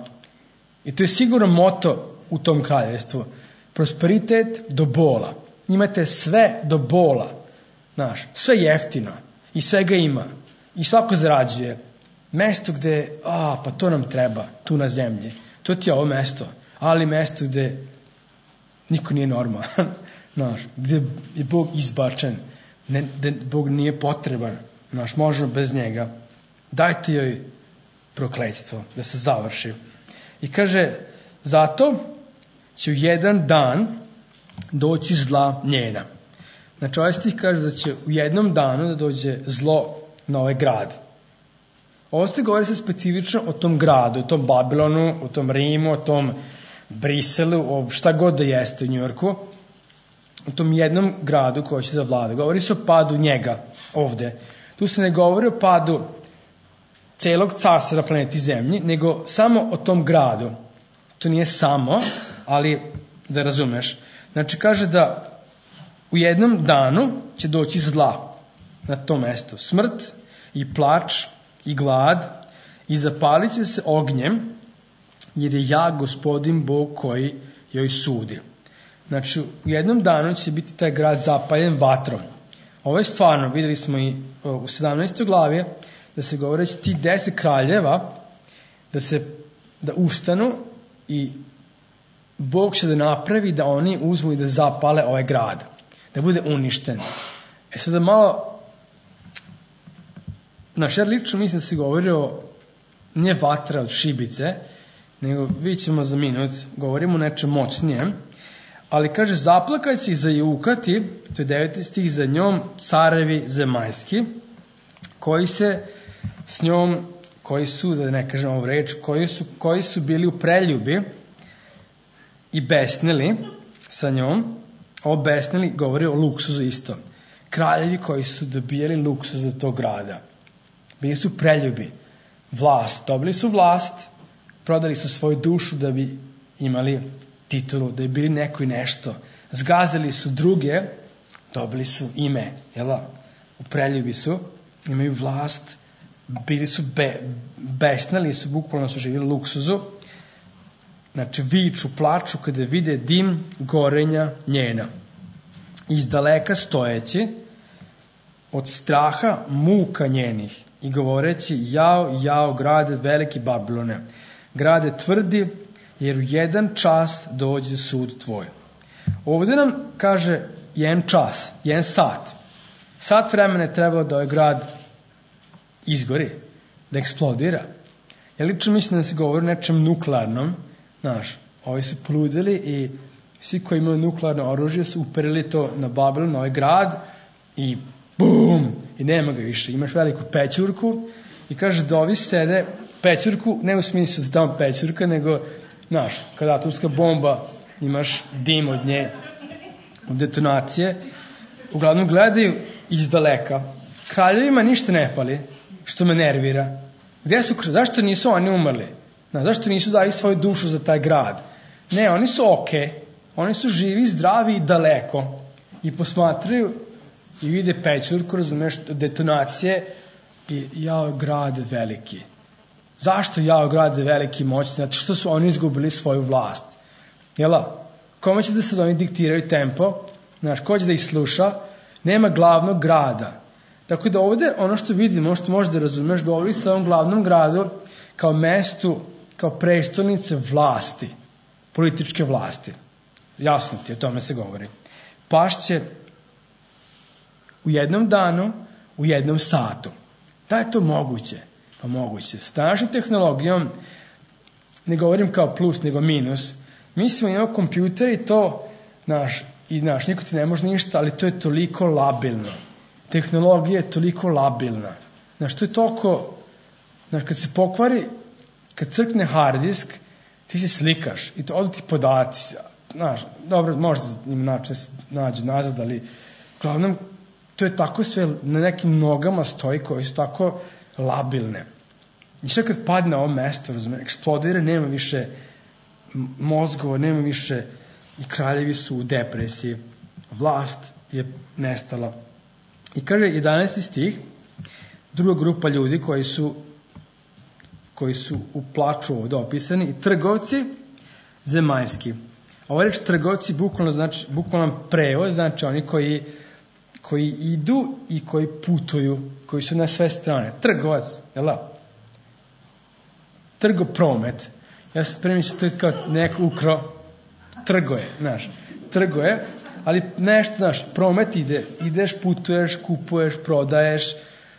I to je sigurno moto u tom kraljevstvu. Prosperitet do bola. Imate sve do bola. Znaš, sve jeftino. I svega ima. I svako zarađuje. Mesto gde, pa to nam treba, tu na zemlji. To ti je ovo mesto. Ali mesto gde niko nije normalan. Znaš, gde je Bog izbačen. Gde Bog nije potreban. Znaš, možemo bez njega. Dajte joj prokletstvo da se završi. I kaže, zato će u jedan dan doći zla njena. Znači, ovaj stih kaže da će u jednom danu da dođe zlo na ovaj grad. Ovo se govori se specifično o tom gradu, o tom Babilonu, o tom Rimu, o tom Briselu, o šta god da jeste u Njujorku, o tom jednom gradu koji će zavladati. Govori se o padu njega ovde. Tu se ne govori o padu celog carstva na planeti Zemlji, nego samo o tom gradu. To nije samo, ali da razumeš. Znači, kaže da u jednom danu će doći zla na to mesto. Smrt i plač i glad i zapalit će se ognjem, jer je ja Gospodin Bog koji joj sudi. Znači, u jednom danu će biti taj grad zapaljen vatrom. Ovo je stvarno, videli smo i u 17. glavi, da se govoreći ti 10 kraljeva, da ustanu i Bog će da napravi da oni uzmu i da zapale ovaj grad, da bude uništen. Sada malo, ja lično mislim da se govorio nije vatra od šibice, nego vidjet ćemo za minut, govorimo o nečem moćnijem, ali kaže zaplakać će i zajukati, to je 9. stih, za njom carevi zemaljski, koji se s njom, koji su, da ne kažem ovu reč, koji su bili u preljubi i besnili sa njom. Ovo besnili govori o luksuzu isto. Kraljevi koji su dobijali luksuz za tog grada. Bili su preljubi. Vlast. Dobili su vlast, prodali su svoju dušu da bi imali titulu, da bi bili neko i nešto. Zgazili su druge, dobili su ime. U preljubi su, imaju vlast, bili su besnili su, bukvalno su živjeli luksuzu. Znači, viču, plaču kada vide dim gorenja njena. Iz daleka stojeći, od straha muka njenih i govoreći jao, jao, grade veliki Babilone, grade tvrdi, jer u jedan čas dođe sud tvoj. Ovdje nam kaže jedan čas, jedan sat. Sat vremena je trebalo da ovaj grad izgori, da eksplodira. Ja lično mislim da se govori o nečem nuklearnom. Ovi su poludili i svi koji imaju nuklearno oružje su uperili to na Babilon, na ovaj grad i bum, i nema ga više. Imaš veliku pećurku i kaže da ovi sede pećurku, ne u smislu da tamo pećurka, nego, kada atomska bomba, imaš dim od nje, od detonacije, uglavnom gledaju iz daleka. Kraljevima ništa ne fali, što me nervira. Zašto nisu oni umrli? Zašto nisu dali svoju dušu za taj grad? Ne, oni su okej. Oni su živi, zdravi i daleko. I posmatraju i vide pećurku, razumeš, detonacije i jao, grad veliki. Zašto jao, grad veliki moćni? Zato što su oni izgubili svoju vlast. Kome će da se oni diktiraju tempo? Ko će da ih sluša? Nema glavnog grada. Tako da ovdje ono što vidimo, što možeš da razumeš, govori se o ovom glavnom gradu kao mestu, kao prestolnice vlasti, političke vlasti. Jasno ti, o tome se govori. Pašće u jednom danu, u jednom satu. Da je to moguće? Pa moguće. S današnjom tehnologijom, ne govorim kao plus, nego minus, mi smo imamo kompjuter i to, niko ti ne može ništa, ali to je toliko labilno. Tehnologija je toliko labilna. To je toliko, kad se pokvari, kad crkne hard disk, ti se slikaš i to odu ti podaci. Dobro, možda im nađu nazad, ali uglavnom to je tako sve na nekim nogama stoji koji su tako labilne. I sve kad padne na ovo mesto, eksplodira, nema više mozgova, nema više i kraljevi su u depresiji. Vlast je nestala. I kaže 11. stih, druga grupa ljudi koji su u plaču ovdje opisani, i trgovci zemaljski. Ovo reč trgovci bukvalno prevod, znači oni koji idu i koji putuju, koji su na sve strane. Trgovac, trgopromet. Ja sam premislio, to je kao neko ukro, trgo je, ali nešto, promet ide, ideš, putuješ, kupuješ, prodaješ.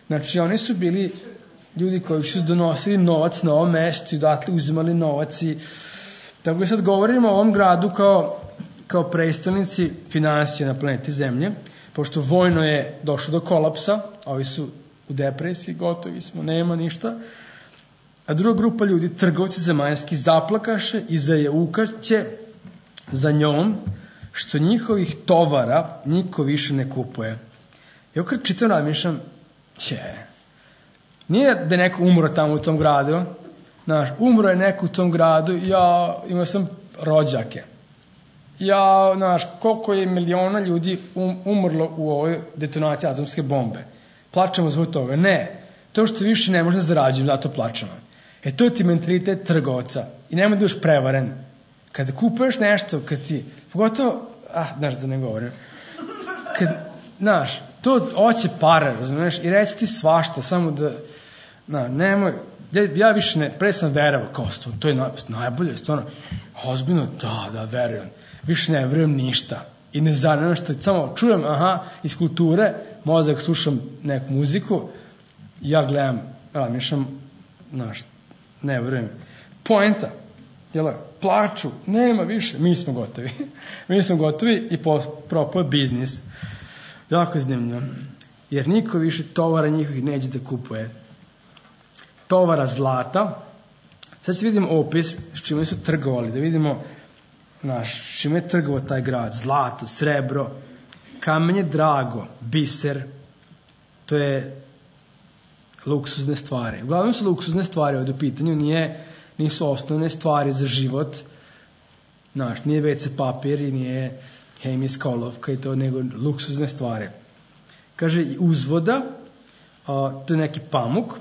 Znači, oni su bili ljudi koji su donosili novac na ovom mestu i odatle uzimali novac i tako da sad govorimo o ovom gradu kao prestolnici finansije na planeti Zemlje, pošto vojno je došlo do kolapsa, ovi su u depresiji, gotovi smo, nema ništa, a druga grupa ljudi, trgovci zemaljski, zaplakaše i zajaukaće za njom, što njihovih tovara niko više ne kupuje. Ja kad čitam razmišljam, nije da je neko umro tamo u tom gradu, umro je neko u tom gradu, ja imao sam rođake. Koliko je miliona ljudi umrlo u ovoj detonaciji atomske bombe. Plačemo zbog toga. Ne, to što više ne može da zarađujem, zato plačemo. To ti mentalitet trgovca. I nemoj da još prevaren. Kada kupuješ nešto, kad ti, pogotovo, da ne govorim, znaš, to hoće pare, razumiješ, i reći ti svašta, samo da, nemoj, ja više ne, pre sam verovao, kao to je najbolje, stvarno, ozbiljno, da, verujem, više ne verujem ništa, i ne zanima što, samo čujem, iz kulture, mozak slušam neku muziku, ja gledam, razmišljam, znaš, ne verujem, poenta, plaču, nema više, mi smo gotovi i propao je biznis. Jako je zanimljivo. Jer niko više tovara njihovih neće da kupuje. Tovara zlata. Sad će vidimo opis s čime su trgovali, da vidimo s čime je trgovao taj grad. Zlato, srebro, kamenje drago, biser, to je luksuzne stvari. Uglavnom su luksuzne stvari ovdje u pitanju, nisu osnovne stvari za život, nije WC papir i nije hemijska olovka i to, nego luksuzne stvari. Kaže i uzvoda, to je neki pamuk,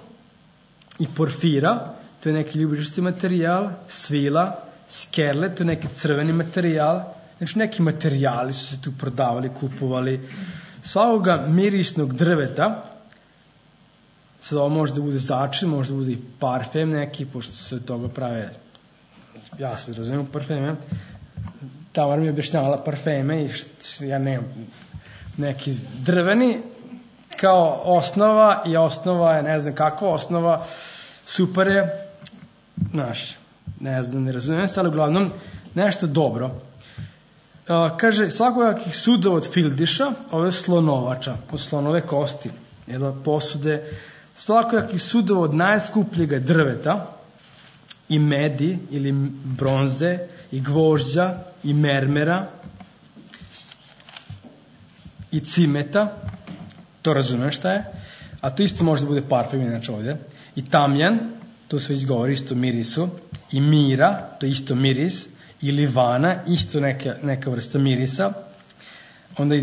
i porfira, to je neki ljubičasti materijal, svila, skerle, to je neki crveni materijal, znači neki materijali su se tu prodavali, kupovali, svakoga mirisnog drveta, sad ovo može da bude začin, može da bude i parfem neki, pošto se od toga prave, ja se razumijem parfeme, Tamara mi je objašnjavala parfeme i ja nemam neki drveni kao osnova i osnova je, ne znam kakva osnova, super je, ne znam, ne razumijem se, ali uglavnom nešto dobro. Kaže, svakojakih sudova od fildiša, ove slonovača, od slonove kosti, posude, svakojakih sudova od najskupljega drveta i medi ili bronze i gvožđa i mermera i cimeta, to razumem šta je, a to isto može da bude parfem inače ovdje, i tamjan, to se već govori isto mirisu, i mira, to je isto miris, i livana, isto neka vrsta mirisa. Onda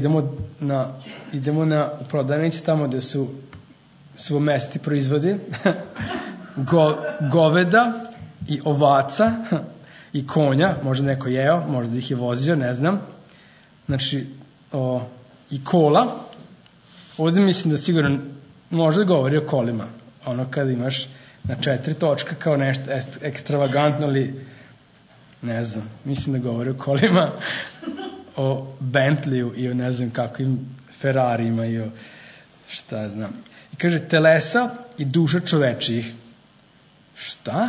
idemo na prodavnici tamo gde su mesti proizvodi, goveda i ovaca i konja, možda neko jeo, možda ih je vozio, ne znam. Znači, i kola. Ovdje mislim da sigurno možda govori o kolima. Ono kada imaš na 4 točka kao nešto ekstravagantno, ali ne znam, mislim da govori o kolima, o Bentleyu i o ne znam kakvim Ferrarijima i o šta znam. I kaže, telesa i duša čovečijih. Šta?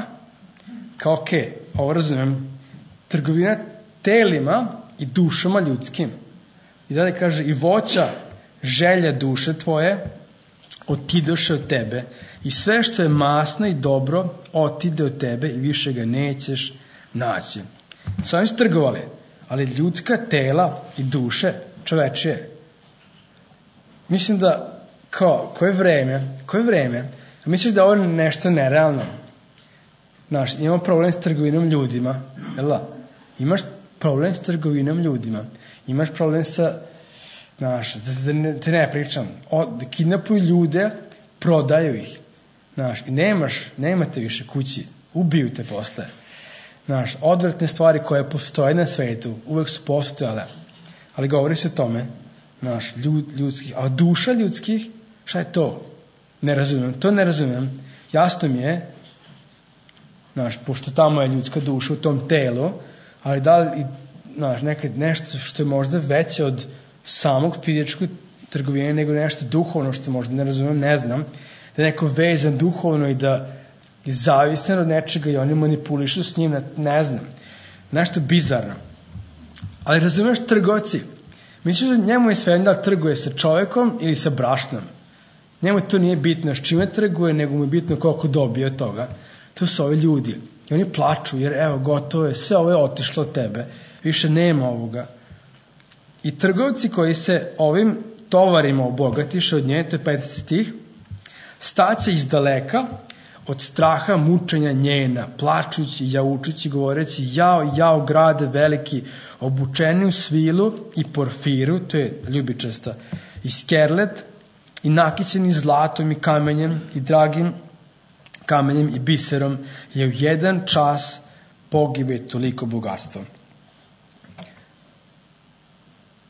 Kao okej, ovo razumem, trgovina telima i dušama ljudskim. I dalje kaže, i voća želja duše tvoje otidoše od tebe i sve što je masno i dobro otide od tebe i više ga nećeš naći. Sve oni su trgovali, ali ljudska tela i duše čovečije. Mislim da koje vreme, misliš da ovo je nešto nerealno? Imamo problem s trgovinom ljudima, jel da? Imaš problem s trgovinom ljudima, imaš problem sa, da te ne pričam, da kidnapuju ljude, prodaju ih, i nemate više kući, ubiju te posle. Odvratne stvari koje postoje na svetu, uvek su postojale, ali govori se o tome, ljudskih, a duša ljudskih, šta je to? Ne razumem, jasno mi je, pošto tamo je ljudska duša u tom telu, ali da li, nekad nešto što je možda veće od samog fizičkog trgovine nego nešto duhovno što možda ne razumem, ne znam, da je neko vezan duhovno i da je zavisan od nečega i oni manipulišu s njim, ne znam, nešto bizarno. Ali razumeš, trgovci, misliš da njemu je svejedno da trguje sa čovekom ili sa brašnom. Njemu to nije bitno s čime trguje, nego mu je bitno koliko dobije od toga. To su ovi ljudi. I oni plaču, jer evo, gotovo je, sve ovo je otišlo od tebe, više nema ovoga. I trgovci koji se ovim tovarima obogatiše od nje, to je 15 stih, staće iz daleka, od straha mučenja njena, plačući, jaučući, govoreći, jao, grade veliki, obučeni u svilu i porfiru, to je ljubičasta, i skerlet, i nakićeni zlatom i kamenjem, i dragim kamenjem i biserom, je u jedan čas pogibe toliko bogatstvo.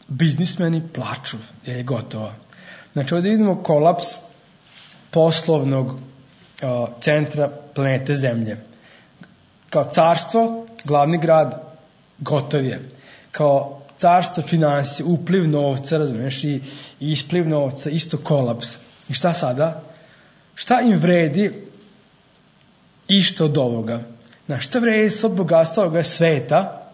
biznismeni plaču, jer je gotovo. Znači, ovdje vidimo kolaps poslovnog centra planete Zemlje. Kao carstvo, glavni grad, gotov je. Kao carstvo finansije, upliv novca, razumiješ, i ispliv novca, isto kolaps. I šta sada? Šta im vredi išto od ovoga? Znači, šta vredi sad bogatstvo ovoga sveta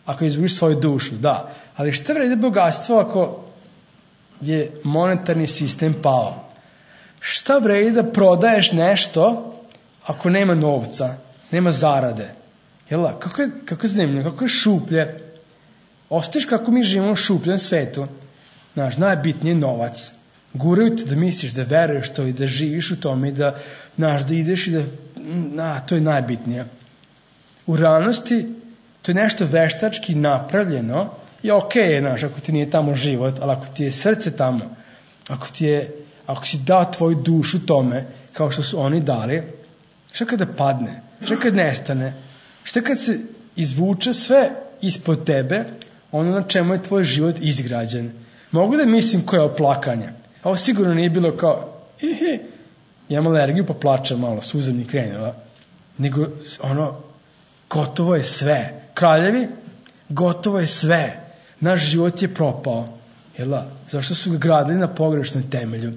ako izgubiš svoju dušu? Da. Ali šta vredi bogatstvo ako je monetarni sistem pao? Šta vredi da prodaješ nešto ako nema novca, nema zarade? Jel' kako je zanimljivo, kako je šuplje? Ostaješ kako mi živimo u šupljem svetu. Znaš, najbitnije je novac. Guraju te da misliš, da veruješ to i da živiš u tome i da, znaš, da ideš i da, to je najbitnije. U realnosti, to je nešto veštački napravljeno i okej, znaš, ako ti nije tamo život, ali ako ti je srce tamo, ako si dao tvoju dušu tome, kao što su oni dali, šta kada padne, šta kad nestane, šta kad se izvuče sve ispod tebe, ono na čemu je tvoj život izgrađen. Mogu da mislim koje je oplakanje. Ovo sigurno nije bilo kao, imam alergiju pa plačem malo, suza mi krenula. Nego, gotovo je sve. Kraljevi, gotovo je sve. Naš život je propao. Jel' zašto su ga gradili na pogrešnom temelju?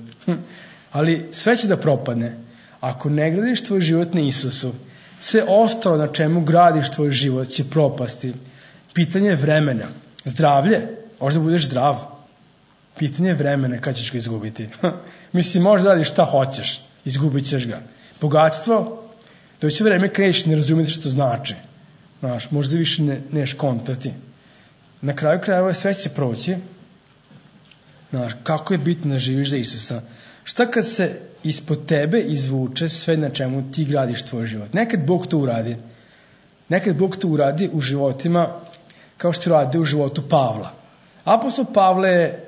Ali sve će da propadne. Ako ne gradiš tvoj život na Isusu, sve ostalo na čemu gradiš tvoj život će propasti. Pitanje je vremena. Zdravlje, možda budeš zdrav. Pitanje je vremena kad ćeš ga izgubiti. Mislim, možda radiš šta hoćeš, izgubit ćeš ga. Bogatstvo, doći vreme kad nećeš ne razumjeti što znači. Znaš, možda više neš kontati. Na kraju krajeva sve će proći. Znaš, kako je bitno da živiš za Isusa. Šta kad se ispod tebe izvuče sve na čemu ti gradiš tvoj život? Nekad Bog to uradi. Nekad Bog to uradi u životima kao što radi u životu Pavla. Apostol Pavle je,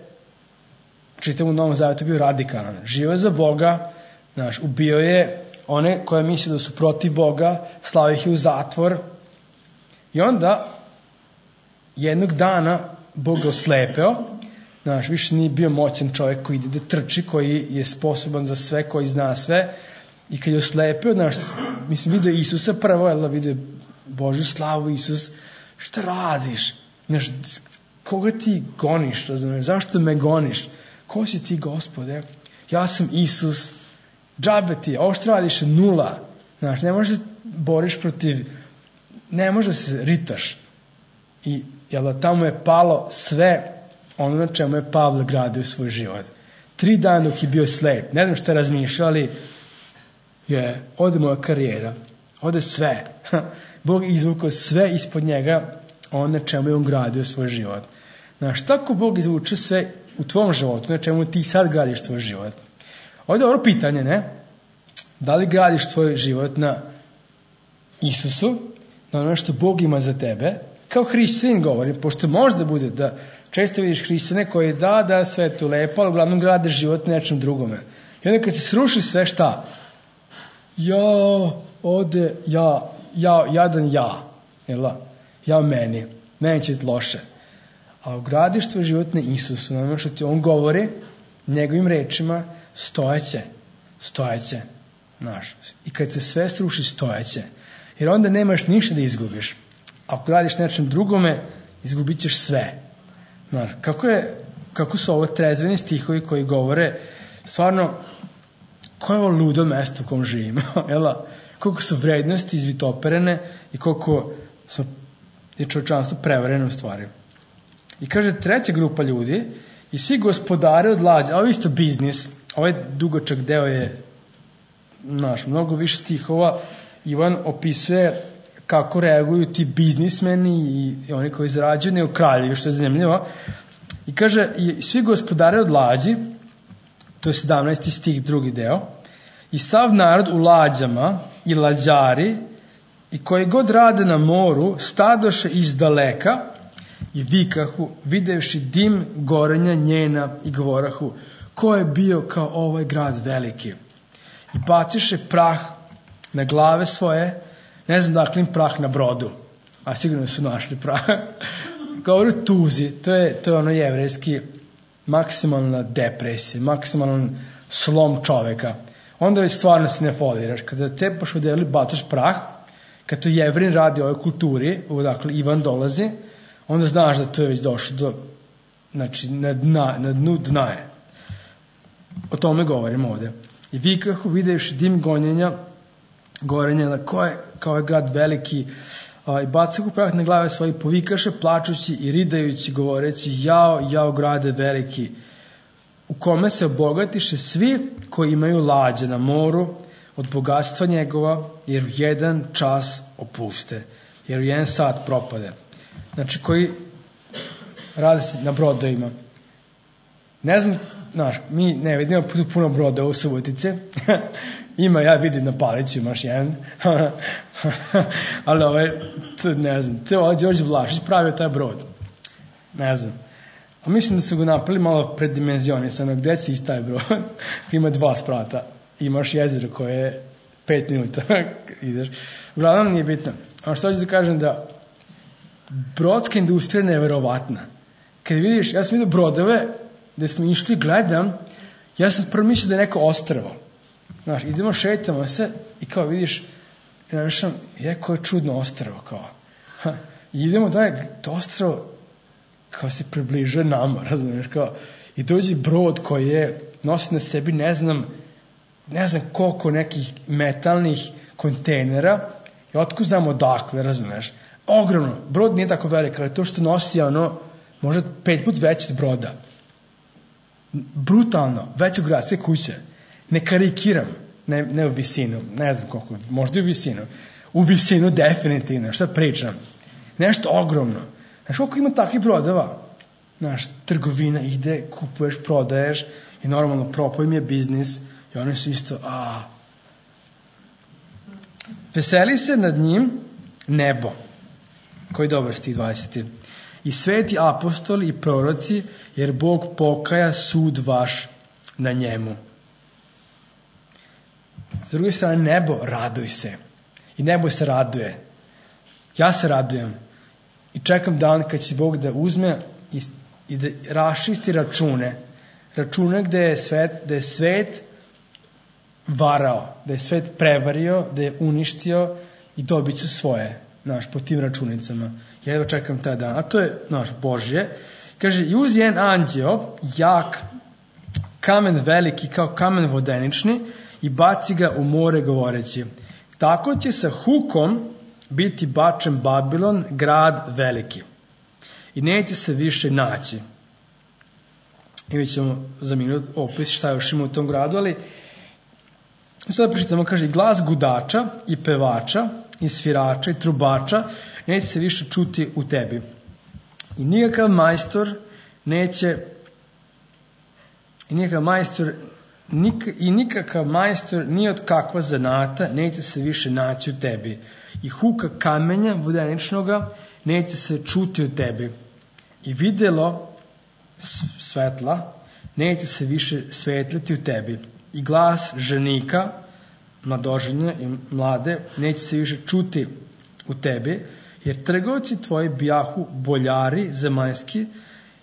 čitam u Novom Zavjetu, bio radikalan. Živio je za Boga, znaš, ubio je one koje misle da su protiv Boga, slao ih je u zatvor. I onda, jednog dana, Bog ga oslepeo, znaš, više nije bio moćan čovjek koji ide da trči, koji je sposoban za sve, koji zna sve. I kad je oslepeo, znaš, mislim, vidio Isusa prvo, jel da vidio Božju slavu, Isus, šta radiš? Znaš, koga ti goniš, razumiješ? Zašto me goniš? Ko si ti, Gospode? Ja sam Isus. Džabe ti, ovo što radiš je nula. Znaš, ne možeš da boriš protiv, ne možeš da se ritaš. I jel da tamo je palo sve ono na čemu je Pavle gradio svoj život. 3 dana dok je bio slep. Ne znam što je razmišljao, ali ode moja karijera. Ode sve. Bog izvukao sve ispod njega ono na čemu je on gradio svoj život. Znaš, tako Bog izvuče sve u tvom životu, na čemu ti sad gradiš svoj život. Ovo je dobro pitanje, ne? Da li gradiš svoj život na Isusu, na ono što Bog ima za tebe, kao hrišćanin govorim, pošto možda bude da često vidiš hrišćane koji da sve je tu lepo, ali uglavnom grade život nečem drugome. I onda kad se sruši sve, šta? Jadan ja meni će biti loše. A ugradiš tvoj život na Isusu, na ono što ti on govori, njegovim rečima, stojeće. Znaš, i kad se sve sruši, stojeće. Jer onda nemaš ništa da izgubiš. Ako radiš nečem drugome, izgubit ćeš sve. Znaš, kako su ovo trezveni stihovi koji govore, stvarno, koje je ovo ludo mesto u kom živimo, koliko su vrednosti izvitoperene i koliko je čovječanstvo prevareno u stvari. I kaže, 3. grupa ljudi, i svi gospodari od lađe, ovo je isto biznis, ovaj dugočak deo je, mnogo više stihova, Ivan opisuje kako reaguju ti biznismeni i oni koji zarađuju, nego kraljevi, što je zanimljivo. I kaže, i svi gospodari od lađi, to je 17. stih, 2. deo, i sav narod u lađama i lađari i koji god rade na moru stadoše iz daleka i vikahu, videvši dim gorenja njena i govorahu, ko je bio kao ovaj grad veliki? I baciše prah na glave svoje, ne znam dakle im prah na brodu, a sigurno su našli prah. govori o tuzi, to je ono jevrejski maksimalna depresija, maksimalan slom čoveka. Onda stvarno se ne foliraš. Kada cepaš odeli, bacaš prah, kad to Jevrin radi u ovoj kulturi, odakle Ivan dolazi, onda znaš da to je već došlo do, znači, na dnu dna je. O tome govorimo ovde. I vikahu, videvši dim gorenja, na koje, kao je grad veliki, i bacahu prah na glave svoje, povikaše, plačući i ridajući, govoreći, jao grade veliki, u kome se obogatiše svi koji imaju lađe na moru od bogatstva njegova, jer u jedan čas opuste, jer u jedan sat propade. Znači, koji rade se na brodovima. Ne znam, znaš, mi ne vidimo puno broda u Subotice. Ima, ja vidim na Paliću, imaš jedan. Ali ne znam, Đorđe Vlašić pravio taj brod. Ne znam. A mislim da su ga napravili malo predimenzionisan. Gde si iz taj brod? Ima 2 sprata. Imaš jezero koje je 5 minuta. Ideš. Uglavnom nije bitno. A što ću da kažem da brodska industrija je neverovatna. Kad vidiš, ja sam vidio brodove gde smo išli, gledam, ja sam prvo mislio da je neko ostrvo. Znaš, idemo, šetamo se i kao vidiš, koje je čudno ostrvo, kao. I idemo to ostrvo kao se približuje nama, razumiješ, kao. I dođe brod koji je nosi na sebi, ne znam koliko nekih metalnih kontejnera i otkud znamo odakle, razumiješ. Ogromno, brod nije tako velik, ali to što nosi možda 5 puta veći od broda. Brutalno, veće od gradske kuće. Ne karikiram, ne u visinu, ne znam koliko, možda i u visinu. U visinu definitivno, šta pričam. Nešto ogromno. Znaš, koliko ima takvih brodova? Znaš, trgovina ide, kupuješ, prodaješ i normalno propao im je biznis i oni su isto, Veseli se nad njim nebo. Koji dobar stih 20. I sveti apostoli i proroci, jer Bog pokaja sud vaš na njemu. S druge strane, nebo, raduj se. I nebo se raduje. Ja se radujem. I čekam dan kad će Bog da uzme i da raščisti račune. Račune gde je svet varao, da je svet prevario, da je uništio i dobit će svoje, znaš, po tim računicama. Ja evo čekam taj dan. A to je, znaš, Božje. Kaže, i uz jedan anđeo, jak, kamen veliki kao kamen vodenični, i baci ga u more govoreći, tako će sa hukom biti bačen Babilon, grad veliki. I neće se više naći. I mi ćemo za minut opis šta još ima u tom gradu, ali sada pričitamo, kaže, glas gudača i pevača i svirača i trubača neće se više čuti u tebi. I nikakav majstor ni od kakva zanata neće se više naći u tebi. I huka kamenja vodeničnoga neće se čuti u tebi. I videlo svetla neće se više svetliti u tebi. I glas ženika, mladoženje i mlade, neće se više čuti u tebi, jer trgovci tvoji bijahu boljari zemaljski,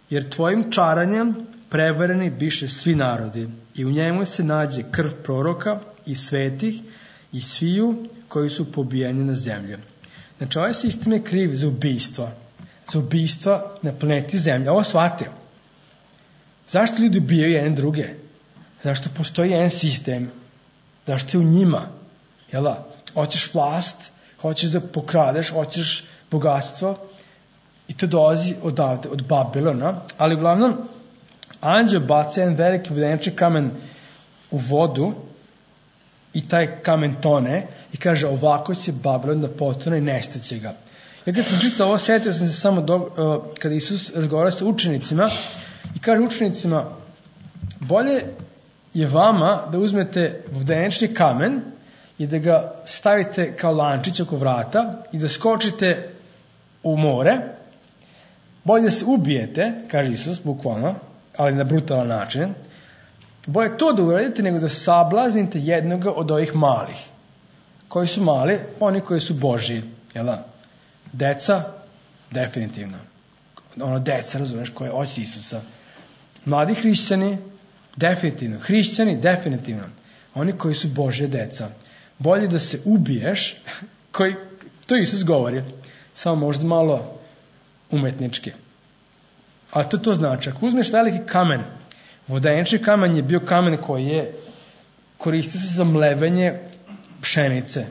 jer tvojim čaranjem prevareni biše svi narodi. I u njemu se nađe krv proroka i svetih i sviju koji su pobijeni na zemlji. Znači, ovaj sistem je kriv za ubistva. Za ubistva na planeti Zemlja. Ovo shvatio. Zašto ljudi ubijaju jedne druge? Zašto postoji jedan sistem? Zašto je u njima? Jela? Hoćeš vlast, hoćeš da pokradeš, hoćeš bogatstvo i to dolazi odavde, od Babilona, ali uglavnom anđeo baca jedan veliki vodenični kamen u vodu i taj kamen tone i kaže ovako će Babilon da potone i nestaće ga. Ja kad sam čitao ovo, sjetio sam se samo kada Isus razgovara sa učenicima i kaže učenicima, bolje je vama da uzmete vodenični kamen i da ga stavite kao lančić oko vrata i da skočite u more, bolje da se ubijete, kaže Isus, bukvalno, ali na brutalan način, bolje to da uradite nego da sablaznite jednoga od ovih malih. Koji su mali? Oni koji su Božji. Jel da? Deca? Definitivno. deca, razumeš, koje hoće Isusa. Mladi hrišćani, definitivno. Hrišćani, definitivno. Oni koji su Božje deca. Bolje da se ubiješ, to Isus govori, samo možda malo umetnički. Ali to znači, ako uzmeš veliki kamen, vodenični kamen je bio kamen koji je koristio se za mlevenje pšenice,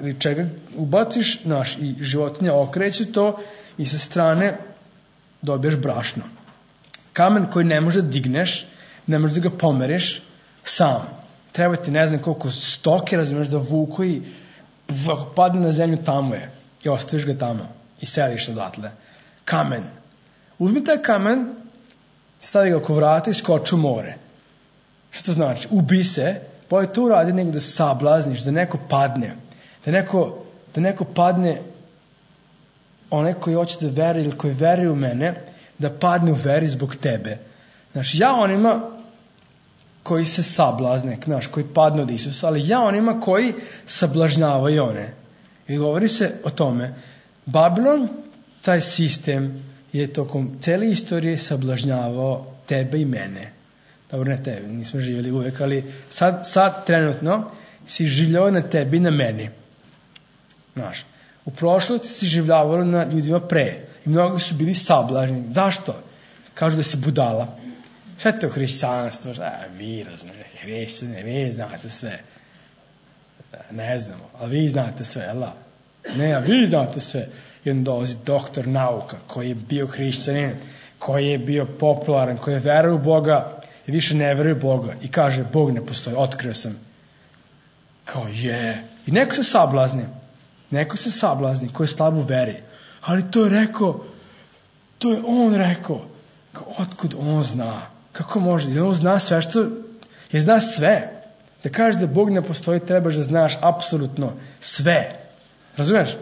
ili čega ubaciš, i životinja okreće to i sa strane dobiješ brašno. Kamen koji ne može da digneš, ne možeš da ga pomeriš sam. Treba ti ne znam koliko stoke, razumiješ, da vuku i ako padne na zemlju, tamo je. I ostaviš ga tamo. I seliš odatle. Kamen. Uzmi taj kamen, stavi ga oko vrata i skoči u more. Što to znači? Ubi se, bolje to uradi nego da sablazniš, da neko padne. Da neko padne, onaj koji hoće da veruje ili koji veruje u mene, da padne u veri zbog tebe. Znači, ja onima koji se sablazne, koji padnu od Isusa, ali ja onima koji sablažnjavaju one. I govori se o tome. Babilon, taj sistem, je tokom cele istorije sablažnjavao tebe i mene. Dobro, ne tebe, nismo živjeli uvek, ali sad trenutno si življavao na tebi i na meni. Znaš, u prošlosti si življavao na ljudima pre. I mnogi su bili sablažni. Zašto? Kažu da si budala. Šta je to hrišćanstvo? Vi razumijete, hrišćane, vi znate sve. Ne znamo, ali vi znate sve, jel da? Ne, a vi znate sve. I onda dolazi doktor nauka, koji je bio hrišćanin, koji je bio popularan, koji je veruje u Boga i više ne veruje u Boga. I kaže, Bog ne postoji, otkrio sam. Kao je. I neko se sablazni, koji je slab u veri. Ali to je on rekao. Otkud on zna? Kako može? Jer on zna sve jer zna sve. Da kažeš da Bog ne postoji, trebaš da znaš apsolutno sve. Razumiješ?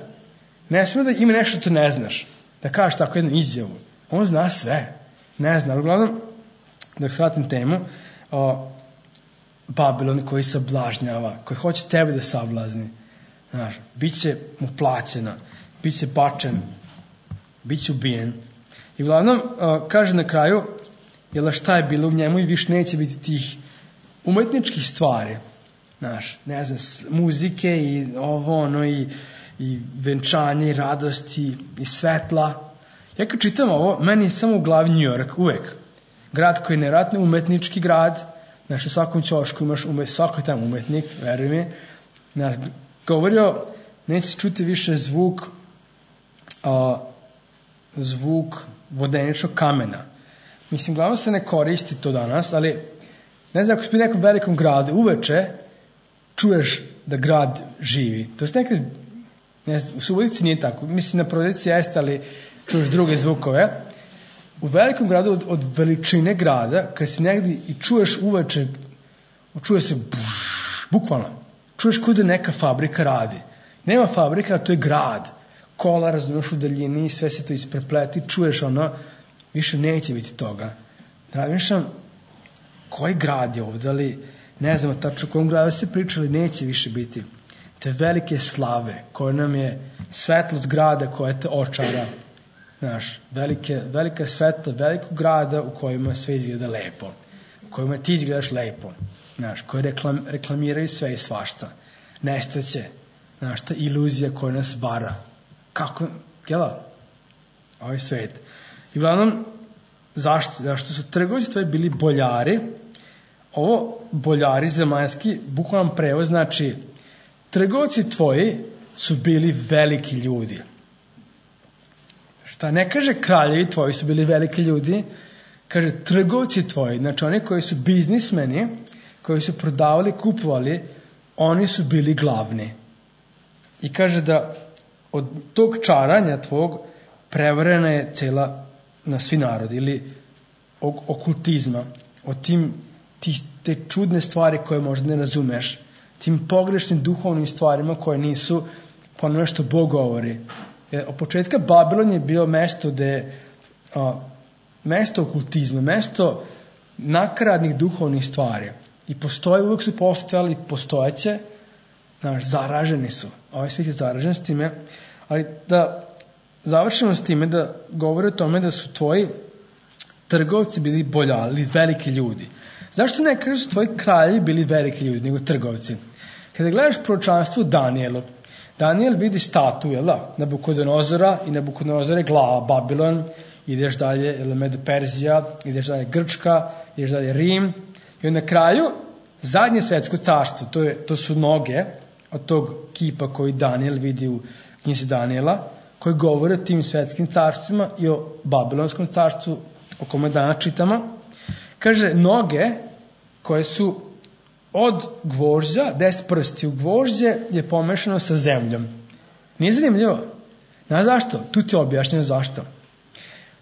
Ne smije da ima nešto što ne znaš. Da kažeš tako jednu izjavu. On zna sve. Ne zna. Ali uglavnom, da shvatim temu, Babilon koji sablažnjava, koji hoće tebe da sablazni. Znaš, bit će mu plaćena, bit će bačen, bit će ubijen. I uglavnom, kaže na kraju, jel šta je bilo u njemu i više neće biti tih umetničkih stvari. Znaš, ne znam, muzike i i venčanje i radosti i svetla. Ja kad čitam ovo, meni je samo u glavi New York, uvek. Grad koji je nevjerojatno umetnički grad. Znaš, u svakom ćošku imaš svako je tamo umetnik, veruj mi. Znaš, govorio, neće čuti više zvuk vodeničnog kamena. Mislim, glavno se ne koristi to danas, ali ne znam, ako si u nekom velikom gradu, uveče čuješ da grad živi. To je nekad, ne znam, u Subotici nije tako, mislim na Prodejci jeste, ali čuješ druge zvukove. U velikom gradu od veličine grada, kad si negdje i čuješ uveče, čuje se bukvalno, čuješ kuda neka fabrika radi. Nema fabrika, a to je grad. Kola razumiješ u daljini, sve se to isprepleti, čuješ više neće biti toga. Razmišljam, koji grad je ovdje, ali ne znam tačno o kom gradu se pričali, neće više biti. Te velike slave, koje nam je svetlost grada koja te očara. Znaš, velika svetla, velikog grada u kojima sve izgleda lepo. U kojima ti izgledaš lepo. Znaš, koji reklamiraju sve i svašta. Nestaće. Znaš, ta iluzija koja nas vara. Kako, jela? Ovaj svet. I uglavnom, zašto su trgovci tvoji bili boljari? Ovo boljari zemaljski, bukvalan prevoz, znači trgovci tvoji su bili veliki ljudi. Šta ne kaže kraljevi tvoji su bili veliki ljudi, kaže trgovci tvoji, znači oni koji su biznismeni, koji su prodavali, kupovali, oni su bili glavni. I kaže da od tog čaranja tvog prevarena je cela na svi narodi ili okultizma, od te čudne stvari koje možda ne razumeš, tim pogrešnim duhovnim stvarima koje nisu po onome što Bog govori. Od početka Babilon je bio mesto okultizma, mesto nakaradnih duhovnih stvari. I uvijek su postojali, postojeće, zaraženi su. Ovaj svijet je zaražen s time, ali da završimo s time da govore o tome da su tvoji trgovci bili boljali, veliki ljudi. Zašto ne kažu su tvoji kraljevi bili veliki ljudi, nego trgovci? Kada gledaš proročanstvo Danijelu, Danijel vidi statu, jel da? Nabukodonozora i Nabukodonozor je glava, Babilon, ideš dalje, Medo-Perzija, ideš dalje Grčka, ideš dalje Rim, i na kraju zadnje svetsko carstvo, to su noge od tog kipa koji Danijel vidi u knjizi Danijela, koji govore o tim svetskim carstvima i o Babilonskom carstvu o kome danas čitamo. Kaže, noge koje su od gvožđa, 10 prsti u gvožđe je pomešano sa zemljom. Nije zanimljivo? Znaš zašto? Tu ti je objašnjeno zašto.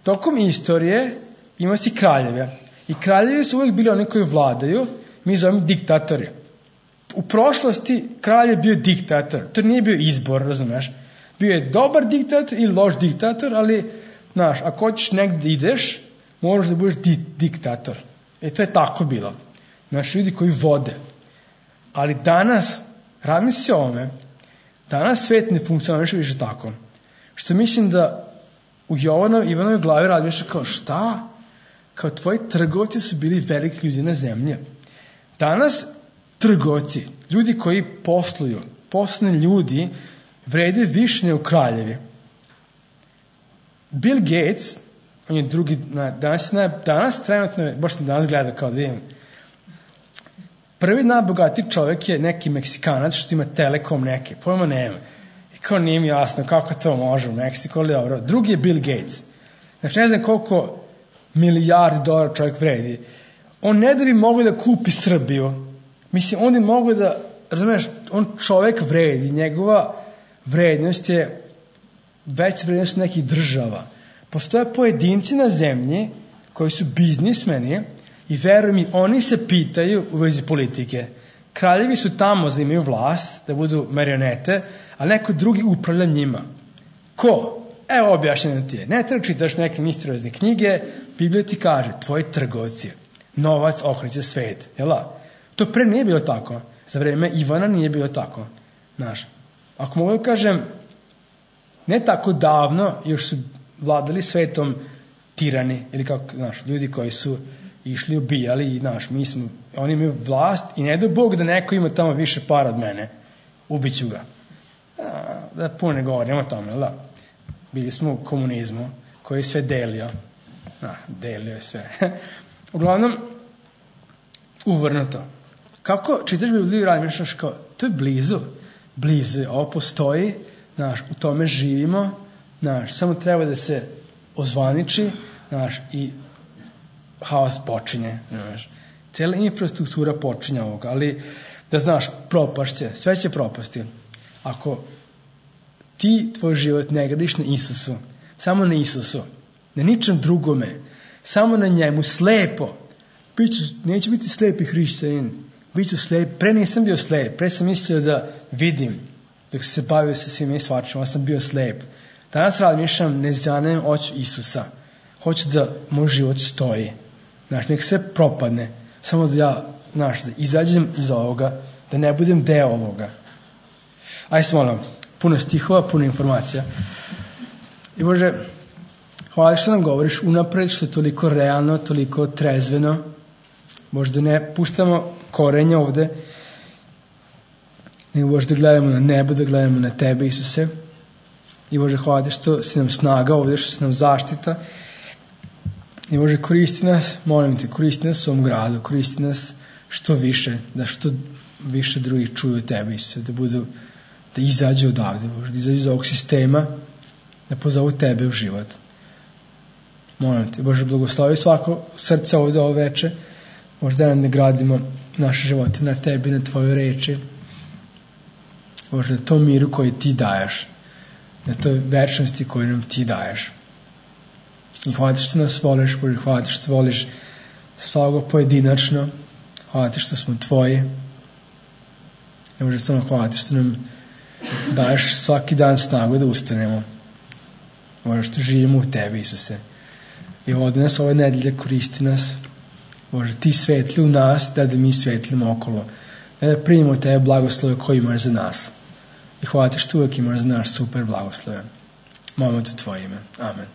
Tokom istorije ima si kraljeve. I kraljevi su uvijek bili oni koji vladaju, mi zovemo diktatori. U prošlosti kralj je bio diktator. To nije bio izbor, razumeš? Bio je dobar diktator ili loš diktator, ali, znaš, ako hoćeš negdje ideš, moraš da budeš diktator. To je tako bilo. Znaš, ljudi koji vode. Ali danas, razmisli o ovome, danas svet ne funkcioniše više tako. Što mislim da u Ivanovoj glavi razmišlja kao šta? Kao tvoji trgovci su bili veliki ljudi na zemlji. Danas trgovci, ljudi koji posluju, poslovni ljudi, vrede više nego kraljevi. Bill Gates, on je drugi, danas trenutno, baš sam danas gledao kao da vidim, prvi najbogatiji čovjek je neki Meksikanac što ima Telekom neke, pojma nema. I kao nije mi jasno kako to može u Meksiku, ali dobro. Drugi je Bill Gates. Znači ne znam koliko milijardi dolara čovjek vredi. On ne da bi mogao da kupi Srbiju. Mislim, on je mogao da, razumiješ, on čovjek vredi, njegova vrednost je veća vrednost nekih država. Postoje pojedinci na zemlji koji su biznismeni i veruj mi, oni se pitaju u vezi politike. Kraljevi su tamo da imaju vlast, da budu marionete, a neko drugi upravlja njima. Ko? Evo objašnjeno ti je. Ne treba čitaš neke misteriozne knjige, Biblija ti kaže, tvoji trgovci, novac okreće svet. Jela? To pre nije bilo tako. Za vreme Ivana nije bilo tako. Znaš, ako mogu da kažem, ne tako davno još su vladali svetom tirani, ili kako, znaš, ljudi koji su išli ubijali i, znaš, oni imaju vlast i ne do Bog da neko ima tamo više para od mene. Ubiću ga. Da puno ne govorimo o tome, da? Bili smo u komunizmu koji je sve delio. Delio je sve. Uglavnom, uvrnuto. Kako čitaš Bibliju i razmišljaš kao, to je blizu je, ovo postoji, znaš, u tome živimo, znaš, samo treba da se ozvaniči, znaš, i haos počinje, znaš. Cijela infrastruktura počinje ovoga, ali da znaš, propašće, sve će propasti. Ako ti tvoj život ne gradiš na Isusu, samo na Isusu, na ničem drugome, samo na njemu, slepo, neću biti slepi hrišćanin, bit ću slep, pre nisam bio slep, pre sam mislio da vidim, dok se bavio sa svima i svačima, sam bio slep. Danas razmišljam, ne zanem oči Isusa, hoću da moj život stoji, znaš, nek sve propadne, samo da ja, znaš, da izađem iz ovoga, da ne budem deo ovoga. Ajde se molim, puno stihova, puno informacija. I Bože, hvala što nam govoriš unapred, što je toliko realno, toliko trezveno. Možda ne puštamo korenje ovde, nego Bože da gledamo na nebo, da gledamo na Tebe, Isuse. I Bože, hvala što si nam snaga ovde, što si nam zaštita. I Bože, koristi nas, molim te, koristi nas u ovom gradu, koristi nas što više, da što više drugih čuju Tebe, Isuse, da izađu odavde, Bože, da izađu iz ovog sistema, da pozovu Tebe u život. Molim te, Bože, blagoslovi svako srce ovde ovo veče, možda nam ne gradimo naše živote na Tebi, na Tvojoj reči, Bože, na tom miru koji Ti daješ, na toj večnosti koju nam Ti daješ. I hvala Ti što nas voliš, Bože, hvala Ti što voliš svakog pojedinačno, hvala Ti što smo Tvoji, i Bože, samo hvala Ti što nam daješ svaki dan snagu da ustanemo, Bože, što živimo u Tebi, Isuse. I vodi nas ove nedelje, koristi nas, Bože, Ti svetli u nas, da mi svetlimo okolo, da primimo Tebe blagoslove koje imaš za nas. I hvala Ti što uvijek imaš za nas super blagoslove. Molimo te u tvoje ime. Amen.